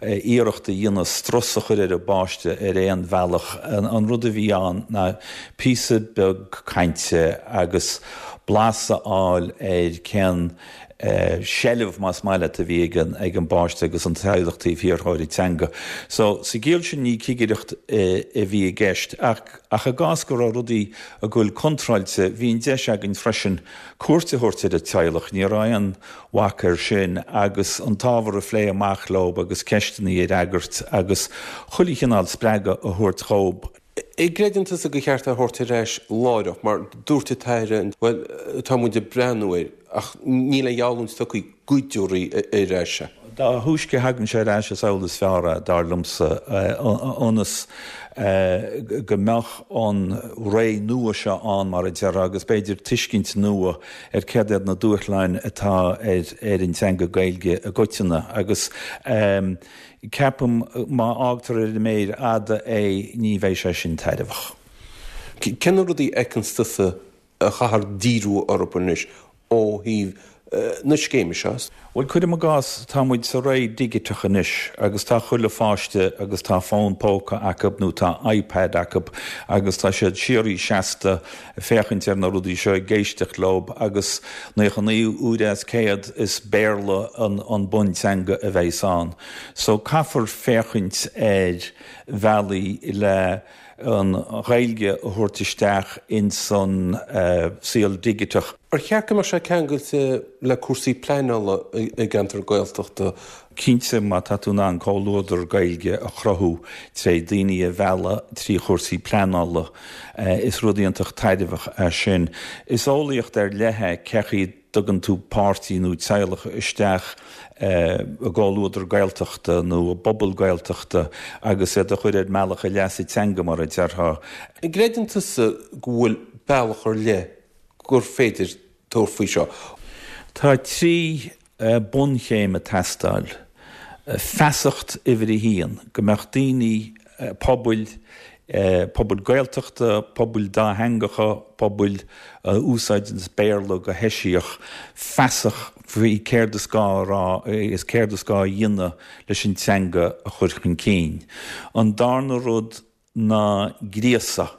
iarracht a dhéanamh strus a chur ar an bpáiste ar aon bhealach. An rud a bhí ann ná píosa beag cainte agus blas a fháil ar cén seilbh, más maith leat, a bhí ag an bpáiste agus an teaghlach taobh thiar dhó ar an teanga. So, sa gciall sin ní cigireacht a bhí i gceist ach ach i gcás go raibh rudaí ag goil contráilte, bhí an deis againn freisin cuairt a thabhairt ar an teaghlach. Ní raibh aon bhac air sin agus an t-ábhar a phlé amach leob agus ceisteanna a fhreagairt agus chuile chineál spreagadh a thabhairt dhób. An gcreideann tusa gur cheart é a thabhairt ar ais láithreach, mar dúirt an tAire, bhuel, tá muid ag breathnú air, ach níl aon gheallúint tugtha go dtabharfaí ar ais é. Dá thúisce a thagann sé ar ais is amhlaidh is fearr é, dar liomsa, ionas go mbeadh an ré nua seo ann, mar a déarfá, agus b'fhéidir tuiscint nua ar céard iad na dúshláin atá ar an teanga Gaeilge i gcoitinne agus. Ceapaim má fhágtar ar an méir fhada é ní bheidh sé sin tairbheach. Cé na rudaí a fheiceanns tusa a chaithfear díriú orthu anois ó thaobh na scéime seo. Bhuel, cuirim i gcás, tá muid sa ré dhigiteach anois agus tá chuile pháiste agus tá fón póca acu nó tá iPad acu agus tá siad síoraí seasta ag féachaint ar na rudaí seo, ag éisteacht leo agus 99 uair as 100 is Béarla an bunteanga a bheas ann. So caithfear féachaint ar bhealaí le an Ghaeilge a thabhairt isteach ins an saol digiteach. Ar cheart go mbeadh sé ceangailte le cúrsaí pleanála i gceantar Gaeltachta? Cinnte, má tá tú in ann comhluadar Gaeilge a chruthú tré daoine a mhealladh trí chúrsaí pleanála, is rud iontach tairbheach é sin. Is eolaíocht ar leith é cé chaoi a dtugann tú páirtí nó teaghlach isteach i gcomhluadar Gaeltachta nó i bpobal Gaeltachta agus iad a chur ar mbealach a leasa teanga, mar a déarfá. An gcreideann tusa go bhfuil bealach ar leith gur féidir tabhairt faoi seo? Tá 3 bunchéim ag teastáil. Feasacht uimhir a haon, go mbeadh daoine, pobail, pobail Gaeltachta, pobail dátheangacha, pobail a úsáideanns Béarla go heisiach, feasach faoi céard is gá a rá is céard is gá a dhéanamh leis an teanga a chur chun cinn. An darna rud, ná gríosadh,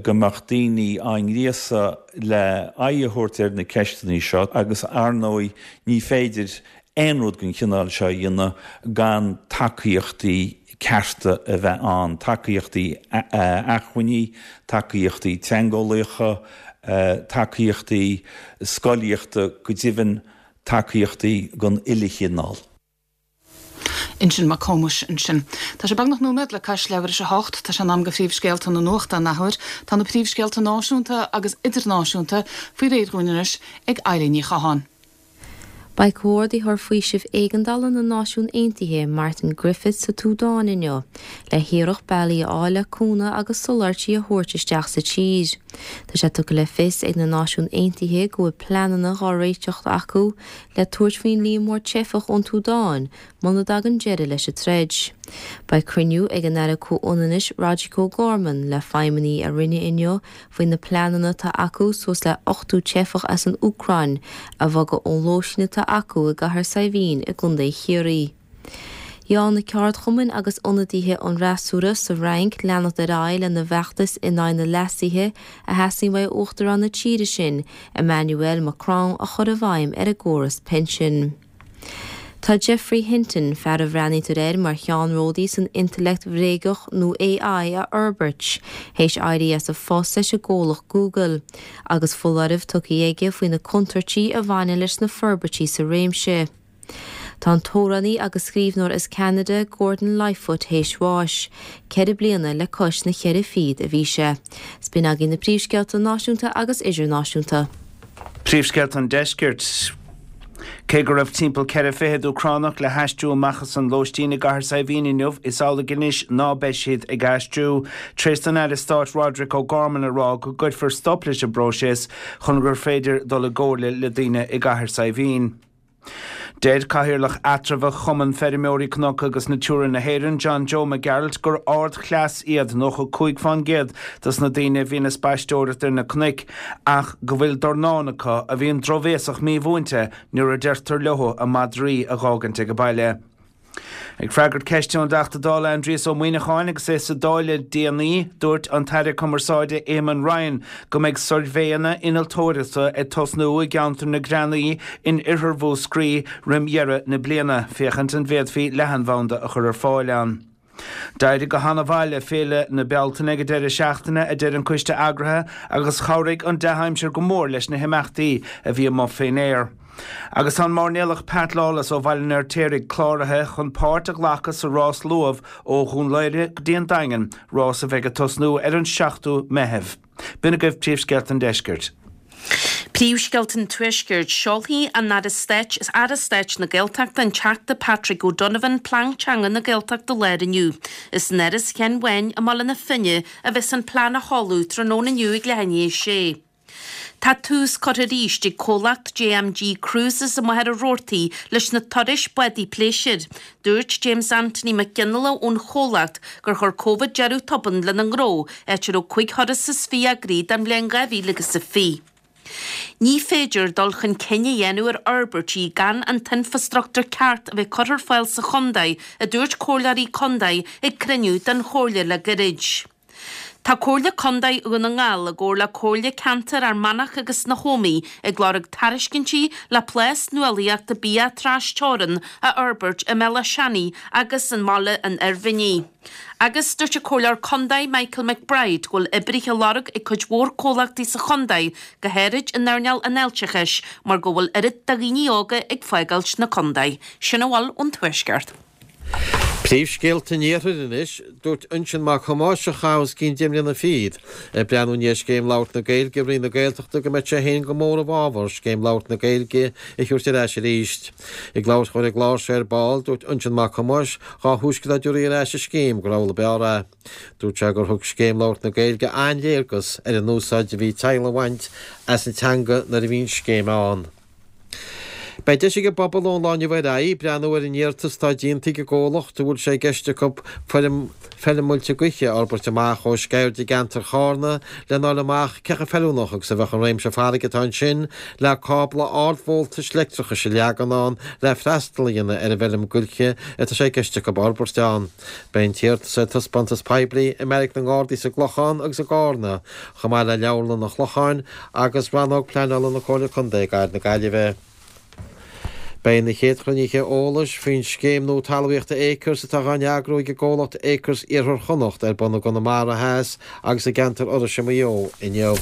go mbeadh daoine á ngríosadh le aghaidh a thabhairt ar na ceisteanna seo agus ar ndóigh ní féidir aon rud den chineál seo a dhéanamh gan tacaíochtaí cearta a bheith ann, tacaíochtaí acmhainní, tacaíochtaí teangeolaíocha, tacaíochtaí scolaíochta, go deimhin tacaíochtaí den uile chineál. Uinsionn Mac Cómais ansin. Tá sé beagnach nóiméad le cois leathuair tar éis a hocht. Tá sé in am do phríomhscéalta na nuachta an athuair. Tá na príomhscéalta náisiúnta agus idirnáisiúnta faoi réir dhúinn anois ag Eilín Ní Chatháin. Beidh Comhordaitheoir Faoisimh Éigeandála na Náisiún Aontaithe, Martin Griffiths, sa tSúdáin inniu le hiarracht bealaí a fháil le cúnamh agus soláthairtí a thabhairt isteach sa tír. Tá sé tugtha le fios ag na Náisiúin Aontaithe go bhfuil pleananna dhá réiteach acu le tabhairt faoin líon mór teifeach ón tSúdáin muna dtagann deireadh leis an troid. Beidh cruinniú ag an Aire Comhionannais Roderic O'Gorman le feidhmeannaigh a Roinne inniu faoi na pleananna atá acu suas le 80 teifeach as an Úcráin a bhogadh ón lóistín atá acu i gCathair Saidhbhín i gContae Chiarraí. Gheall na ceardchumainn agus ionadaithe an fhreasúra sa Fhrainc leanacht ar aghaidh lena bhfeachtas in aghaidh na leasuithe a theastaíonn uaidh Uachtarán na tíre sin, Emmanuel Macron, a chur i bhfeidhm ar an gcóras pinsin. Tá Geoffrey Hinton, fear a bhreathnaítear air mar cheannródaí san intleacht bhréagach nó AI a fhorbairt, théis éirí as a phost leis an gcomhlacht Google, agus foláireamh tugtha aige faoi na contúirtí a bhaineann leis na forbairtí sa réimse. Tá an t-amhránaí agus scríbhneoir as Ceanada, Gordon Lightfoot théis bháis, 4 bliana le cois na cheithre fichead a bhí sé. 'S b'in agaibh na príomhscéalta náisiúnta agus idirnáisiúnta. Príomhscéalta an Deiscirt. Cé go raibh timpeall 4 fichid Úcránach le haistriú amach as an lóistín i gCathair Saidhbhín inniu, is amhlaidh anois ná beidh siad ag aistriú, tar éis don Aire Stáit Roderic O'Gorman a rá go gcuirfear stop leis an bpróiseas chun gur féidir dul i gcomhairle le daoine i gCathair Saidhbhín. Deir Cathaoirleach Eatramhach Chumann Feirmeoirí Cnoc agus Natura na hÉireann, John Joe Mac Gearailt, gur ardchleas iad 95 fán gcéad dos na daoine a bhíonn ag spaisteoireacht ar na cnoic ach go bhfuil dornán acu a bhíonn drochbhéasach mímhúinte nuair a deirtear leo a madraí a dh'fhágaint ag baile. Ag freagairt ceiste ón dTeachta Dála Aindrias Ó Muimhneacháin agus é sa Dáil le déanaí, dúirt an tAire Cumarsáide Eamon Ryan go mbeidh suirbhéanna innealtóireachta ag tosnú i gceantar na Greanaí in oirthear Mhúscraí roim dheireadh na bliana féachaint an bhféadfaí leathanbhanda a chur ar fáil ann. D'éirigh go han-mhaith le Féile na Bealtaine ag an deireadh seachtaine, a deir an coiste eagraithe, agus chabhraigh an dea-aimsir go mór leis na himeachtaí a bhí amuigh fén aer. Agus tá an mairnéalach Pat Lawless ó Bhaile an Fheirtéaraigh cláraithe chun páirt a ghlacadh sa rás luamh ó Dhún Laoghaire go dtí an Daingean, rás a bheidh ag tosnú ar an 7ú Meitheamh. B'in agaibh príomhscéalta an deiscirt. Príomhscéalta an Tuaiscirt, Seolfaidh an Aire Stáit, Aire Stáit na Gaeltachta, an Teachta Patrick O'Donovan, Plean Teanga na Gaeltachta láir inniu. Is in Áras Sheáin Bháin i mBaile na Finne a bheas an plean á sheoladh tráthnóna inniu ag leath i ndiaidh a sé. Tá tús curtha arís ag comhlacht JMG Cruises i Machaire Rabhartaigh leis na turais bádaí pléisiúir. Dúirt James Anthony Mac Fhionnghaile ón chomhlacht gur chuir Covid deireadh tobann lena ngnó, áit a raibh 25 thuras eagraithe don bhliain 2020. Ní féidir dul chun cinn a dhéanamh ar fhorbairtí gan an t-infreastruchtúr ceart a bheith curtha ar fáil sa chontae, a dúirt comhairleoirí contae ag cruinniú den chomhairle le gairid. Tá Comhairle Contae Dhún na nGall i gcomhar le Comhairle Ceantair Fhear Manach agus na hÓmaí ag lorg tairiscintí le plás nuálaíochta bia tras-teorann a fhorbairt i mBéal Átha Seanaidh agus i mBaile an Oirmhinnigh. Agus dúirt an Comhairleoir Contae Michael McBride go bhfuil oibrithe á lorg ag cuid mhór comhlachtaí sa chontae, go háirid in earnáil an fháilteachais, mar go bhfuil oiread de dhaoine óga ag fágáilt na contae. Sin a bhfuil ón Tuaisceart. Príomhscéalta an Iarthair anois. Dúirt Uinseann Mac Thomáis, a chaith os cionn 10 mbliana fichead ag breathnú i ndiaidh Scéim Labhairt na Gaeilge i Roinn na Gaeltachta go mbeadh sé féin go mór i bhfabhar Scéim Labhairt na Gaeilge a thabhairt ar ais arís. Ag labhairt dhó ar an gclár seo ar ball, dúirt Uinseann Mac Thomáis Dhá thúisce dá dtabharfaí ar ais an scéim gur amhlaidh ab fhearr é. Dúirt sé gur thug Scéim Labhairt na Gaeilge an-léargas ar an úsáid a bhí teaghlaigh a bhaint as an teanga nuair a bhí an scéim ann. Beidh deis ag an bpobal ón lá inniu ar aghaidh breathnú ar an iarratas atá déanta ag an gcomhlacht a bhfuil sé i gceist acu feirm feirm muilte gaoithe a fhorbairt amach ó Sceird i gceantar Chárna lena fháil amach cé chomh feiliúnach agus a bheadh an réimse farraige atá ansin le cábla ardvoltais leictreachais a leagan ann le freastal a dhéanamh ar an bhfeirm gaoithe atá sé i gceist acu a fhorbairt ann. Beidh an t-iarratas ar taispeántas poiblí i mBeairic na nGardaí sa gClochán agus i gCárna, chomh maith le Leabharlann an Chlocháin agus Rannóg Pleanála na Comhairle Contae i gCathair na Gaillimhe. Beidh na chéad chruinnithe eolais faoin scéim nua talmhaíochta Acres atá á n-eagrú ag an gcomhlacht Acres Iarthar Chonnacht ar bun i gConamara Theas agus i gceantar Iorrais i Maigh Eo inniu.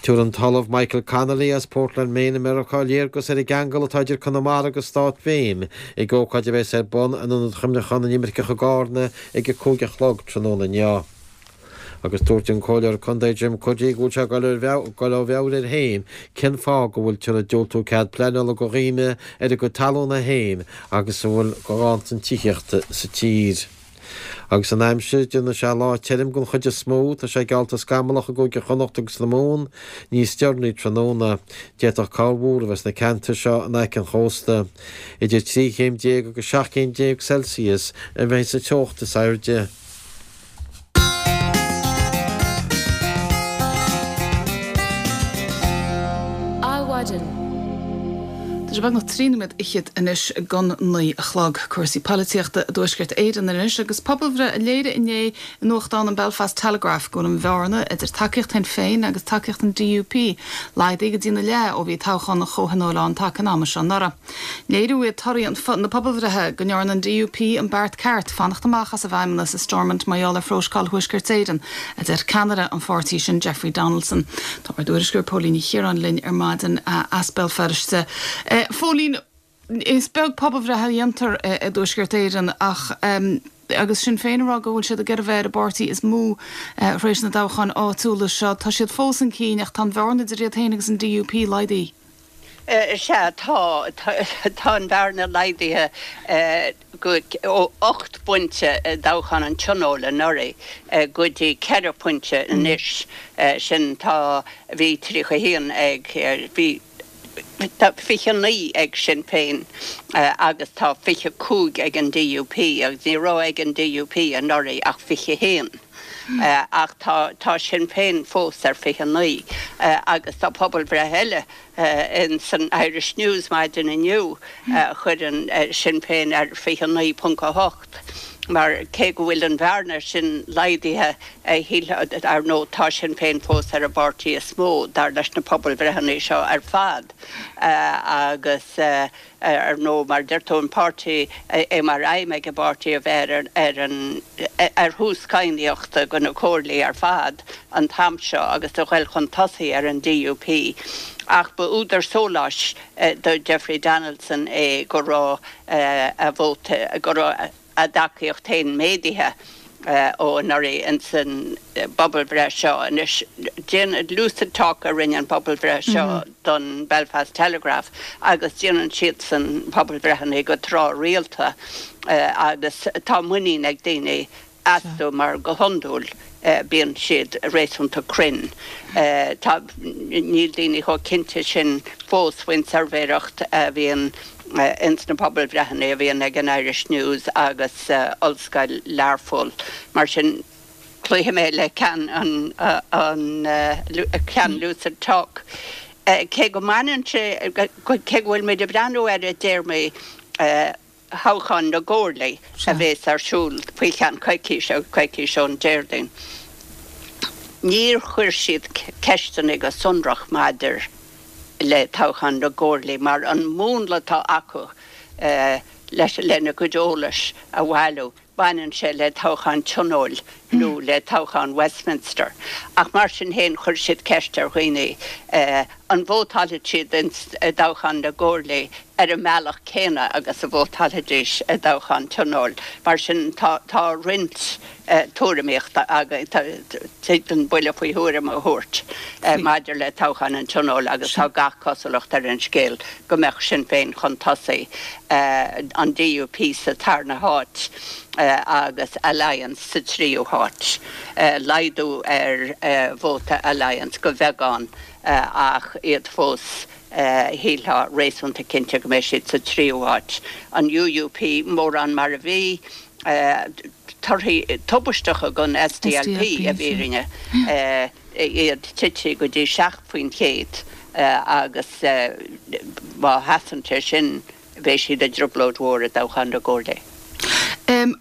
Tabharfaidh an tOllamh Michael Connolly as Portland, Maine i Meiriceá léargas ar an gceangal atá idir Conamara agus stát Mhaine ag ócáid a bheas ar bun in Ionad Chuimhneacháin na nImirceach i gCárna ag a 5 a chlog tráthnóna inniu. Agus dúirt an Comhairleoir Contae Jim Cuddy go bhfuil sé ag dul ó mheabhair air féin cén fáth go bhfuiltear ag diúltú cead pleanála do dhaoine ar a gcuid talúna féin agus a bhfuil de ghanntan tithíochta sa tír. Agus an aimsir, déanfaidh sé lá tirim den chuid is mó, tá sé geallta scamallach i gCúige Chonnacht agus na Mumhan níos deireanaí tráthnóna. D'fhéadfadh corrmhúr a bheith sna ceantair seo in aice an chósta. Idir 13 chéim agus 17 chéim Celsius a bheidh sa teocht is airde. Adhmhaidin. Tá sé beagnach 3 nóiméad fhichead anois don 9 a chlog. Cúrsaí polaitíochta i dTuaisceart Éireann anois agus pobalbhreith a léirigh inné i nuachtán an Belfast Telegraph go bhfuil an bhearna idir tacaíocht Shinn Féin agus tacaíocht an DUP laghdaithe go dtína leath ó bhí toghchán an Chomhthionóil ann taca an ama seo anuraidh. Léiriú iad torthaí na pobalbhreithe go ndearna an DUP an beart ceart fanacht amach as an bhFeidhmeannas i Stormont mar gheall ar phróiseáil Thuaisceart Éireann, a deir ceannaire an pháirtí sin, Jeffrey Donaldson. Tá ár dtuairisceoir Póilín Ní Chiaráin linn ar maidin as Béal Feirste. Phóilín, is beag pobalbhreith a dhéantar i dTuaisceart Éireann ach agus Sinn Féin ag rá go bhfuil siad ag iarraidh a bheith ar an bpáirtí is mó tar éis na dtoghcháin áitiúla seo, tá siad fós chun cinn ach tá an bhearna idir iad féin agus an DUP laghdaithe. Sea, tá. Tá an bhearna laghdaithe go ó 8 bpointe i dtoghchán an Tionóil anuraidh go dtí 4 phointe anois. Sin, tá, bhí 31 ag, bhí, tá 29 ag Sinn Féin agus tá 25 ag an DUP agus ní raibh ag an DUP anuraidh ach 21. Ach tá, tá Sinn Féin fós ar 29 agus tá pobalbhreith eile in san Irish News maidin inniu a chuireann Sinn Féin ar 29.8 mar cé go bhfuil an bhearna sin laghdaithe, shílfeá, ar ndóigh tá Sinn Féin fós ar an bpáirtí is mó dar leis na pobalbhreitheanna seo ar fad agus Ar ndóigh, mar a deir tú, an páirtí, é mar aidhm ag an bpáirtí a bheith ar ar an ar thús cadhnaíochta do na comhairlí ar fad an t-am seo agus a ghoil chun tosaigh ar an DUP. Ach ba údar sóláis do Jeffrey Donaldson é go raibh a vóta, go raibh a dtacaíocht féin méadaithe ó anuraidh ins an bpobalbhreith seo. Anois, déanann Lucid Talk a rinne an pobalbhreith seo don Belfast Telegraph agus déanann siadsan pobalbhreitheanna go tráthrialta agus tá muinín ag daoine astu mar go hiondúil bíonn siad réasúnta cruinn. Tá, níl daoine chomh cinnte sin fós faoin tsuirbhéireacht a bhíonn ins na pobalbhreitheanna a bhíonn ag an Irish News agus Ollscoil Learpholl. Mar sin, cloífidh mé le ceann an, an, ceann Lucid Talk. Cé go mbaineann sé, cé go bhfuil muid ag breathnú air i dtéarmaí thoghchán na gcomhairlí a bhéas ar siúl faoi cheann coicíse, coicís ón Déardaoin, níor chuir siad ceisteanna go sonrach maidir le toghchán na gcomhairlí mar an múnla atá acu leis lena gcuid eolais a bhailiú. Baineann sé le toghchán Tionóil nó le toghchán Westminster. Ach mar sin féin chuir siad ceist ar dhaoine an vótálfaidh siad i dtoghchán na gcomhairlí ar an mbealach céanna agus a vótálfaidís i dtoghchán Tionóil. Mar sin tá roinnt tuairimíochta againn, tig linn buille faoi thuairim a thabhairt maidir le toghchán an Tionóil agus tá gach cosúlacht ar an scéal go mbeadh Sinn Féin chun tosaigh, an DUP sa tarna háit agus Alliance sa tríú háit. Laghdú ar vóta Alliance go bheagán ach iad fós, shílfeá, réasúnta cinnte go mbeidh siad sa tríú háit. An UUP mórán mar a bhí. Torthaí tubaisteacha don SDLP i bhfírinne. iad tite go dtí 7% agus má sheasann sé sin beidh siad i dtrioblóid mhór i dtoghchán na gcomhairlí.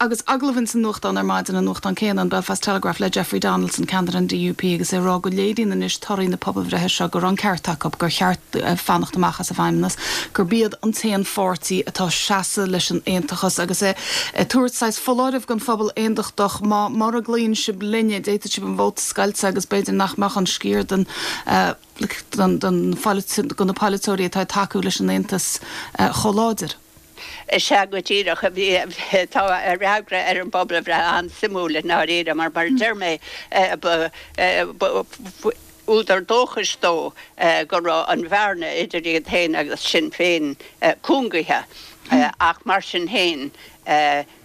Agus agallamh ins an nuachtán ar maidin, an nuachtán céanna, an Belfast Telegraph, le Jeffrey Donaldson, ceannaire an DUP, agus é ag rá go léiríonn anois torthaí na pobalbhreithe seo go raibh an ceart acu, gur cheart fanacht amach as an bhFeidhmeannas, gurb iad an t-aon pháirtí atá ag seasamh leis an aontachas agus é ag tabhairt saghas foláirimh don phobal aondachtach, má, mura gcloíonn sibh linne, d'fhéadfadh sibh an vóta a scoilteadh agus b'fhéidir nach mbeadh an sciar den, den, de na polaiteoirí atá ag tacú leis an aontas chomh láidir. Is ea go díreach. Bhí, tá a fhreagra ar an bpobalbhreith an-suimiúil i ndáiríre mar, mar a deir mé, ba, ba, údar dóchais dó go raibh an bhearna idir iad féin agus Sinn Féin cúngaithe ach mar sin féin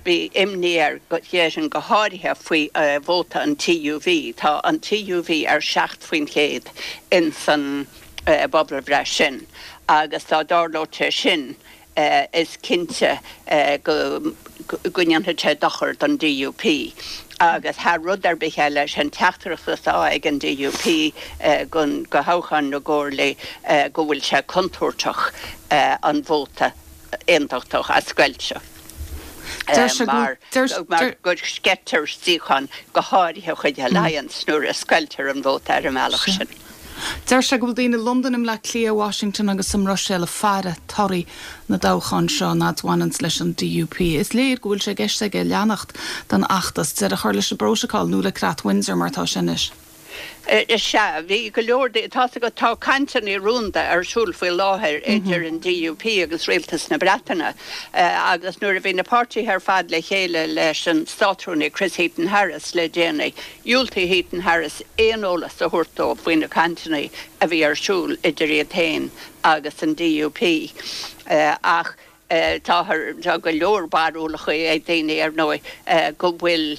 bhí imní air, déarfainn, go háirithe faoi vóta an TUV. Tá an TUV ar 7% ins an bpobalbhreith sin agus dá dtarlódh sé sin, is cinnte go ndéanfaidh sé dochar don DUP agus thar rud ar bith eile, sé an teachtaireacht atá ag an DUP do thoghchán na gcomhairlí go bhfuil sé contúirteach an vóta aontachtach a scoilteadh mar go sceitear suíocháin, go háirithe chuig Alliance nuair a scoiltear an vóta ar an mbealach sin. Deir sé go bhfuil daoine i Londain, i mBleá Cliath, Washington agus sa mBruiséil ag faire torthaí na dtoghchán seo an fhad a bhaineanns leis an DUP. Is léir go bhfuil sé i gceist aige leanacht den fheachtas, deireadh a chur leis an bprótocol nó le Creat Windsor mar atá sé anois. Is ea, bhí go leor, tá's agat, tá cainteanna rúnda ar siúl faoi láthair idir an DUP agus Rialtas na Breataine agus nuair a bhí na páirtithe ar fad le chéile leis an Státrúnaí Chris Heaton-Harris le déanaí, Dhiúltaigh Heaton Harris aon eolas a thabhairt dóibh faoi na cainteanna a bhí ar siúl idir iad féin agus an DUP ach táthar, tá go leor barúlacha ag daoine ar ndóigh go bhfuil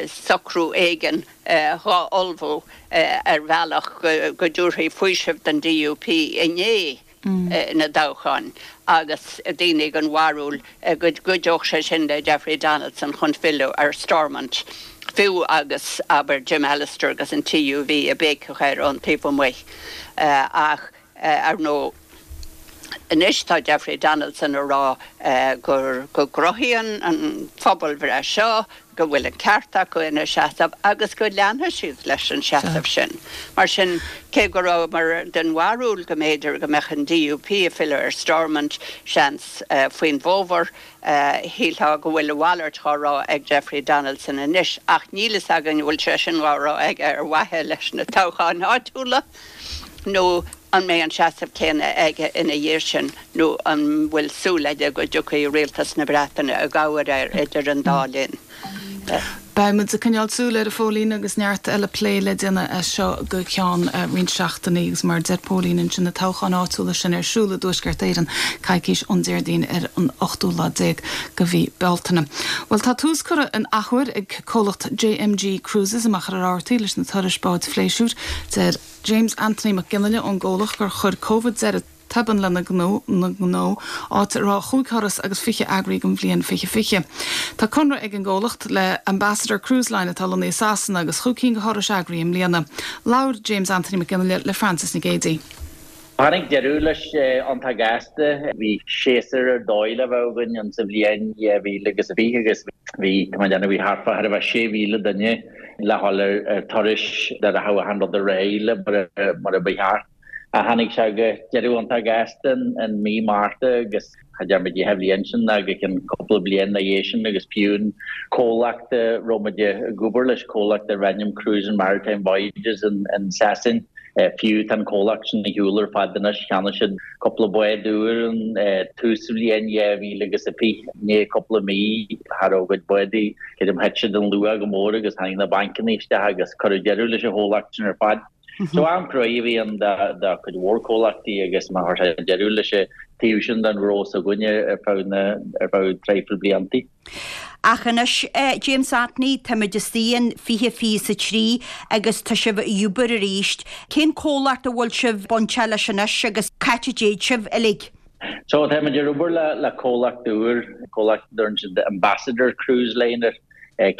socrú éigin dhá ullmhú ar bhealach go dtabharfaí faoiseamh don DUP i ndiaidh na dtoghchán agus daoine den bharúil go gcuideodh sé sin le Jeffrey Donaldson chun filleadh ar Stormont, fiú agus, abair, Jim Allister agus an TUV ag béiceach air ón taobh amuigh. Ach, ar ndóigh, anois tá Jeffrey Donaldson ag rá gur, go gcruthaíonn an phobalbhreith seo go bhfuil an ceart acu ina seasamh agus go leanfaidh siad leis an seasamh sin. Mar sin, cé go rabhamar den bharúil go mb'fhéidir go mbeadh an DUP ag filleadh ar Stormont, seans, faoin bhfómhar, shílfeá go bhfuil a mhalairt dhá rá ag Jeffrey Donaldson anois. Ach níl fhios againn an bhfuil sé sin dhá rá aige ar mhaithe leis na toghcháin áitiúla nó an mbeidh an seasamh céanna aige ina dhiaidh sin nó an bhfuil súil aige go dtiocfaidh Rialtas na Breataine i gcabhair air idir an dá linn? Beidh muid ag coinneáil súil air, a Phóilín, agus neart eile plé le déanamh as seo go ceann roinnt seachtainí agus mar a deir Póilín ansin, na toghcháin áitiúla sin ar siúl i dTuaisceart Éireann coicís ón Déardaoin ar an ochtú lá déag de mhí Bealtaine. Bhuel tá tús curtha an athuair ag comhlacht JMG Cruises i Machaire Rabhartaigh leis na turais báid phléisiúir. Deir. James Anthony Mac Fhionnghaile ón gcomhlacht gur chuir Covid deireadh tobann lena ngnó, áit a raibh chúig thuras agus 20 eagraithe don bhliain 2020. Tá conradh ag an gcomhlacht le Ambassador Cruise Line atá lonnaithe i Sasana agus chúig cinn de thurais eagraithe i mbliana. Labhair James Anthony Mac Fhionnghaile le Frances Nic Géadaigh. Tháinig deireadh leis iontach gasta. Bhí séasúr ar dóigh le bheith againn in sa bhliain 2020 agus bhí, tá mé ag déanamh, bhí thart fá thar a bheith 6,000 duine le dhul ar turais dá rachadh achan rud ar aghaidh le mar a ba cheart. Ach tháinig sé go deireadh iontach gasta in mí Márta agus cha dearn muid an bhliain sin ná go ceann cúpla bliain ina dhiaidh sin agus fiú an comhlacht a raibh muid ag obair leis, comhlacht darb ainm Cruise and Maritime Voyages in Sasain, Fiú tá an comhlacht sin ar shiúl ar fad anois, cheannaigh siad cúpla bád úr in tús bhliain 2020, i ndiaidh cúpla mí cha raibh a gcuid bádaí, creidim thit siad in luach go mór agus tháinig na bancanna isteach agus cuireadh deireadh leis an chomhlacht sin ar fad. So am cruaidh a bhí ann do chuid mhór comhlachtaí agus mar chuir sé deireadh leis an taobh sin den ghnó s'againne ar feadh na, ar feadh traidhfil bliantaí. Ach anois, James Anthony, táimid istigh in 2023 agus tá sibh ag obair arís. Cén comhlacht a bhfuil sibh bainteach leis anois agus c'áit a dtéid sibh uilig? So, táimid ag obair le comhlacht úr, comhlacht a dtugann siad Ambassador Cruise Line air.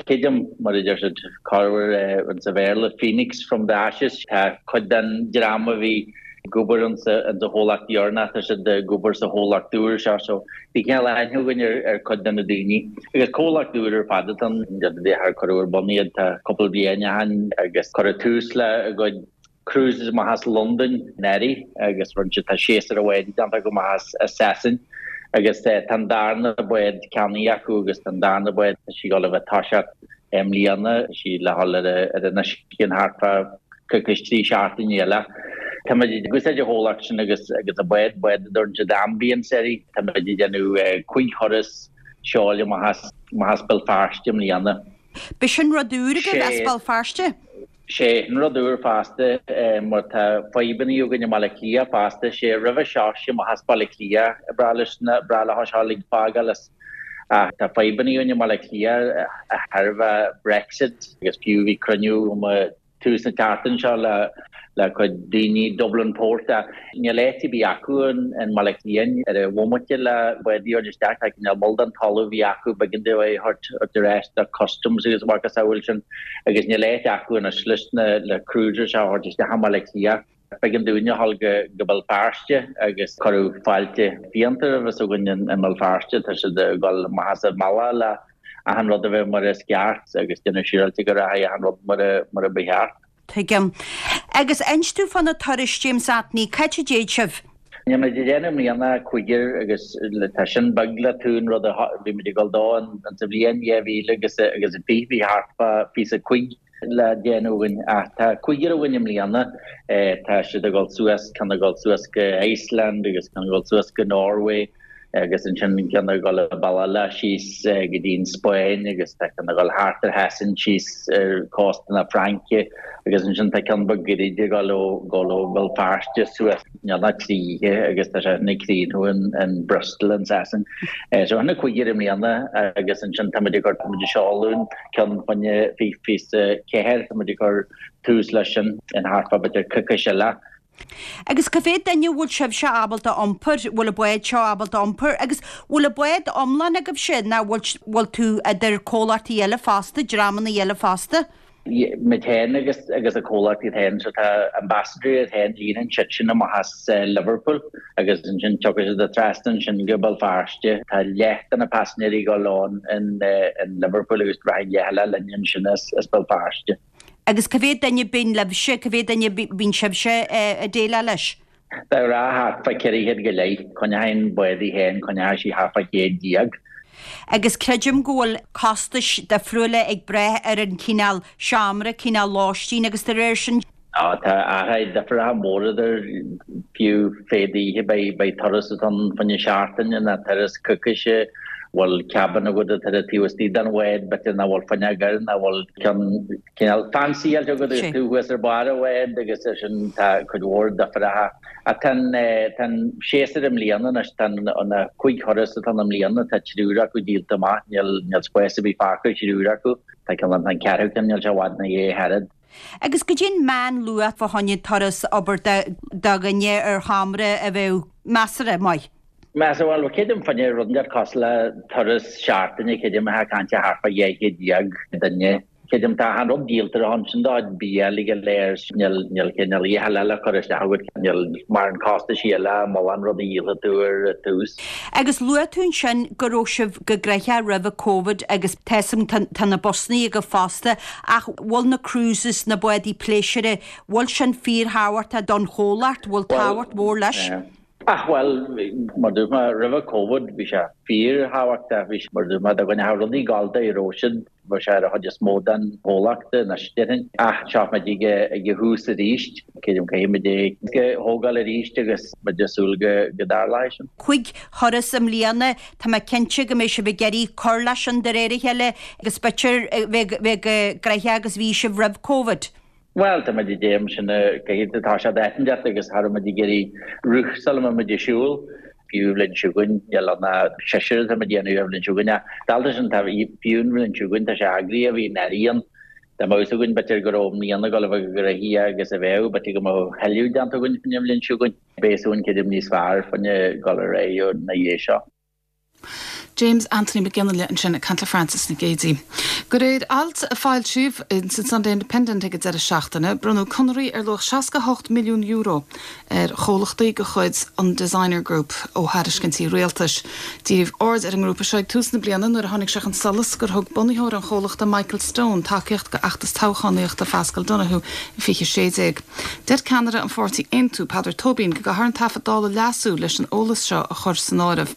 Creidim, mar a deir siad, corruair insa Bhéarla, Phoenix from the Ashes. Tá cuid den dream a bhí ag obair insa chomhlacht dheireanach, tá siad ag obair sa chomhlacht úr seo, so bhí cineál aithne againn ar chuid de na daoine. Agus comhlacht úr ar fad atá ann, char cuireadh ar bun iad, tá cúpla bliain ó shin agus cuireadh tús le a gcuid cruises amach as Londain anuraidh agus rinne siad, tá séasúr amháin déanta acu amach as Sasain agus tá an darna bád ceannaithe acu agus tá an darna bád, tá sí ag dul a bheith ag toiseacht i mbliana, tá sí le dhul ar an uisce in thart fá coicís, 3 seachtaine eile. Táimid ag úsáid an chomhlacht sin agus agus an bád, bád a dtugann siad Ambience uirthi. Táimid ag déanamh 5 thuras seoil amach as, amach as Béal Feirste i mbliana. B'shin rud úr agaibh as Béal Feirste? Sé an rud úr fosta mar tá fadhbanna againn i mBaile Átha Cliath fosta, sé roimhe seo sé amach as Baile Átha Cliath ba bhreá leis na, breá leo seol ag fágáil as ach tá fadhbanna againn i mBaile Átha Cliath de thairbhe Brexit agus fiú bhí cruinniú agam tús na tseachtaine seo le le cuid daoine Dublin Port ach níl áit ar bith acu in mBaile Átha Cliath ar an bhomaite le bádaí a thabhairt isteach. Tá cineál moll den talamh a bhí acu b'éigean dóibh é a thabhairt ar ais do Customs agus a mhacasamhail sin agus níl áit acu anois leis na le cruisers a thabhairt isteach i mBaile Átha Cliath. B'éigean dúinne a dhul go go Béal Feirste agus cuireadh fáilte fiánta roimhe s'againn i mBéal Feirste. Tá siad ag dul amach as an mbealach le achan rud a bheith mar is ceart agus déanamh siúráilte go rachaidh achan rud mar a mar a ba cheart. Tuigim. Agus inis domh fá na turais, James Anthony, c'áit a dtéid sibh? Níl muid ag déanamh i mbliana ach cúigear agus tá sin beag le tú an rud a bhí muid ag dul dó an sa bhliain 2000 agus agus a 20 bhí thart fá 25 le déanamh againn ach tá cúigear againn i mbliana tá siad ag dul suas ceann ag dul suas go Iceland agus ceann ag dul suas go Norway agus ansin ceann ag dul an bealach eile síos go dtí an Spáinn agus tá ceann ag dul thart ar Shasain síos ar cósta na Fraince agus ansin tá ceann beag gairid ag dul ó dul ó Bhéal Feirste suas níl ach 3 oíche agus tá sé sin ag críochnú in in Bristol in Sasain. So sin na cúigear i mbliana agus ansin tá muid ag cur tá muid ag seoladh ceann fá choinne 24 tá muid ag cur tús leis sin in thart fá b'fhéidir coicís eile. Agus cá mhéad duine a bhfuil sibhse ábalta iompar, bhfuil an bád seo ábalta iompar agus bhfuil an bád iomlán agaibhse nó bhfuil, bhfuil tú idir comhlachtaí eile fosta, dreamanna eile fosta? Muid féin agus agus an comhlacht iad féin, so tá Ambassador iad féin, líonann siad sin amach as Liverpool agus ansin tiocfaidh siad trasna ansin go Béal Feirste. Tá leath de na paisinéirí ag dul ann in in Liverpool agus rachaidh leath eile linn ansin as as Béal Feirste. Agus cá mhéad duine bíonn libhse, cá mhéad duine bíonn sibhse ag déileáil leis? De ghnáth thart fá 400 go leith. Coinneoidh an bád í féin, coinneoidh sí thart fá 100 déag. Agus creidim go bhfuil costais difriúla ag brath ar an chineál seomra, cineál lóistín agus de réir sin. Á, tá athruithe difreacha móra idir, fiú fé d'oíche beidh turas atá ann fá choinne seachtaine ná turas coicíse, bhfuil cabin agat atá ar taobh istigh den bhád, b'fhéidir nach bhfuil fuinneog air, nach bhfuil ceann cineál fancy eile agat agus tú thuas ar barr an bháid agus ar sin tá cuid mhór difreacha. Ach tá an, tá an séasúr i mbliana anois, tá an, na cuig thuras atá ann i mbliana, tá triúr acu díolta amach, níl, níl spás ar bith fágtha ar thriúr acu. Tá ceann, tá an ceathrú ceann, níl sé i bhfad ina dhiaidh ach oiread. Agus goidé an meánluach fá choinne turas abair do dhuine ar sheomra a bheadh measartha maith. Measartha, bhuel, creidim fá choinne rud inteacht cosúil le turas seachtaine, creidim atá ag caint thart fá 200 duine. Creidim tá achan rud díolta ar a shon sin do bia uilig go léir níl níl cineál iachall eile curtha isteach agat níl mórán costaisí eile mórán rudaí díolfaidh tú ar tús. Agus luaigh tú ansin go raibh sibh go gnoitheach roimhe Covid agus tá 'fhios a'm tá na busannaí agaibh fosta ach bhfuil na cruises, na bádaí pléisiúir, bhfuil sin fíorthábhachtach don chomhlacht, bhfuil tábhacht mhór leis? Ach bhuel, mar dúirt mé, roimhe Covid bhí sé fíorthábhachtach, bhí sé, mar dúirt mé, dá gcoinneodh rudaí ag gabháil dá raibh siad, bheadh sé ar an chuid is mó den chomhlacht anois, déarfainn. Ach seo muid ag ag an thús arís, creidim caithfidh muid é a thógáil arís agus muid ag súil go go dtarlóidh sin. Chuig thuras i mbliana, tá mé cinnte go mbeidh sibh ag iarraidh cur leis sin de réir a chéile agus b'fhéidir bheith bheith chomh gnoitheach agus bhí sibh roimh Covid. Bhuel, tá muid ag déanamh sin caithfidh tá sé d'aithin agus cha raibh muid ag iarraidh rith sula mbeidh muid ag siúl. Fiú an bhliain seo chugainn, níl ann ach seisear atá muid ag déanamh ar an bhliain seo chugainn ach dalta sin tá fiú an bhliain seo chugainn tá sé eagraithe, bhí an Airí ann. Dá mbeadh fhios againn b'fhéidir go raibh i mbliana ag dul a bheith chomh gnoitheach agus a bheadh, b'fhéidir go mbeadh a thuilleadh déanta againn faoin bhliain seo chugainn. Beidh fhios againn creidim níos fearr faoin dul ar aghaidh ina dhiaidh seo. James Anthony Mac Fhionnghaile ansin ag caint le Frances Nic Géadaigh. De réir ailt a foilsíodh in san Sunday Independent ag an deireadh seachtaine, bronnadh conarthaí ar luach €68 milliún ar chomhlachtaí de chuid an Designer Group ó thairiscintí rialtais. Díríodh aird ar an ngrúpa seo ag tús na bliana nuair a tháinig sé chun solais gur thug bunaitheoir an chomhlachta Michael Stone tacaíocht d'fheachtas toghchánaíochta Phaschal Donohoe i 2016. Deir ceannaire an pháirtí Aontú, Peadar Tóibín, go gcaithfear an taifead Dála a leasú leis an eolas seo a chur san áireamh.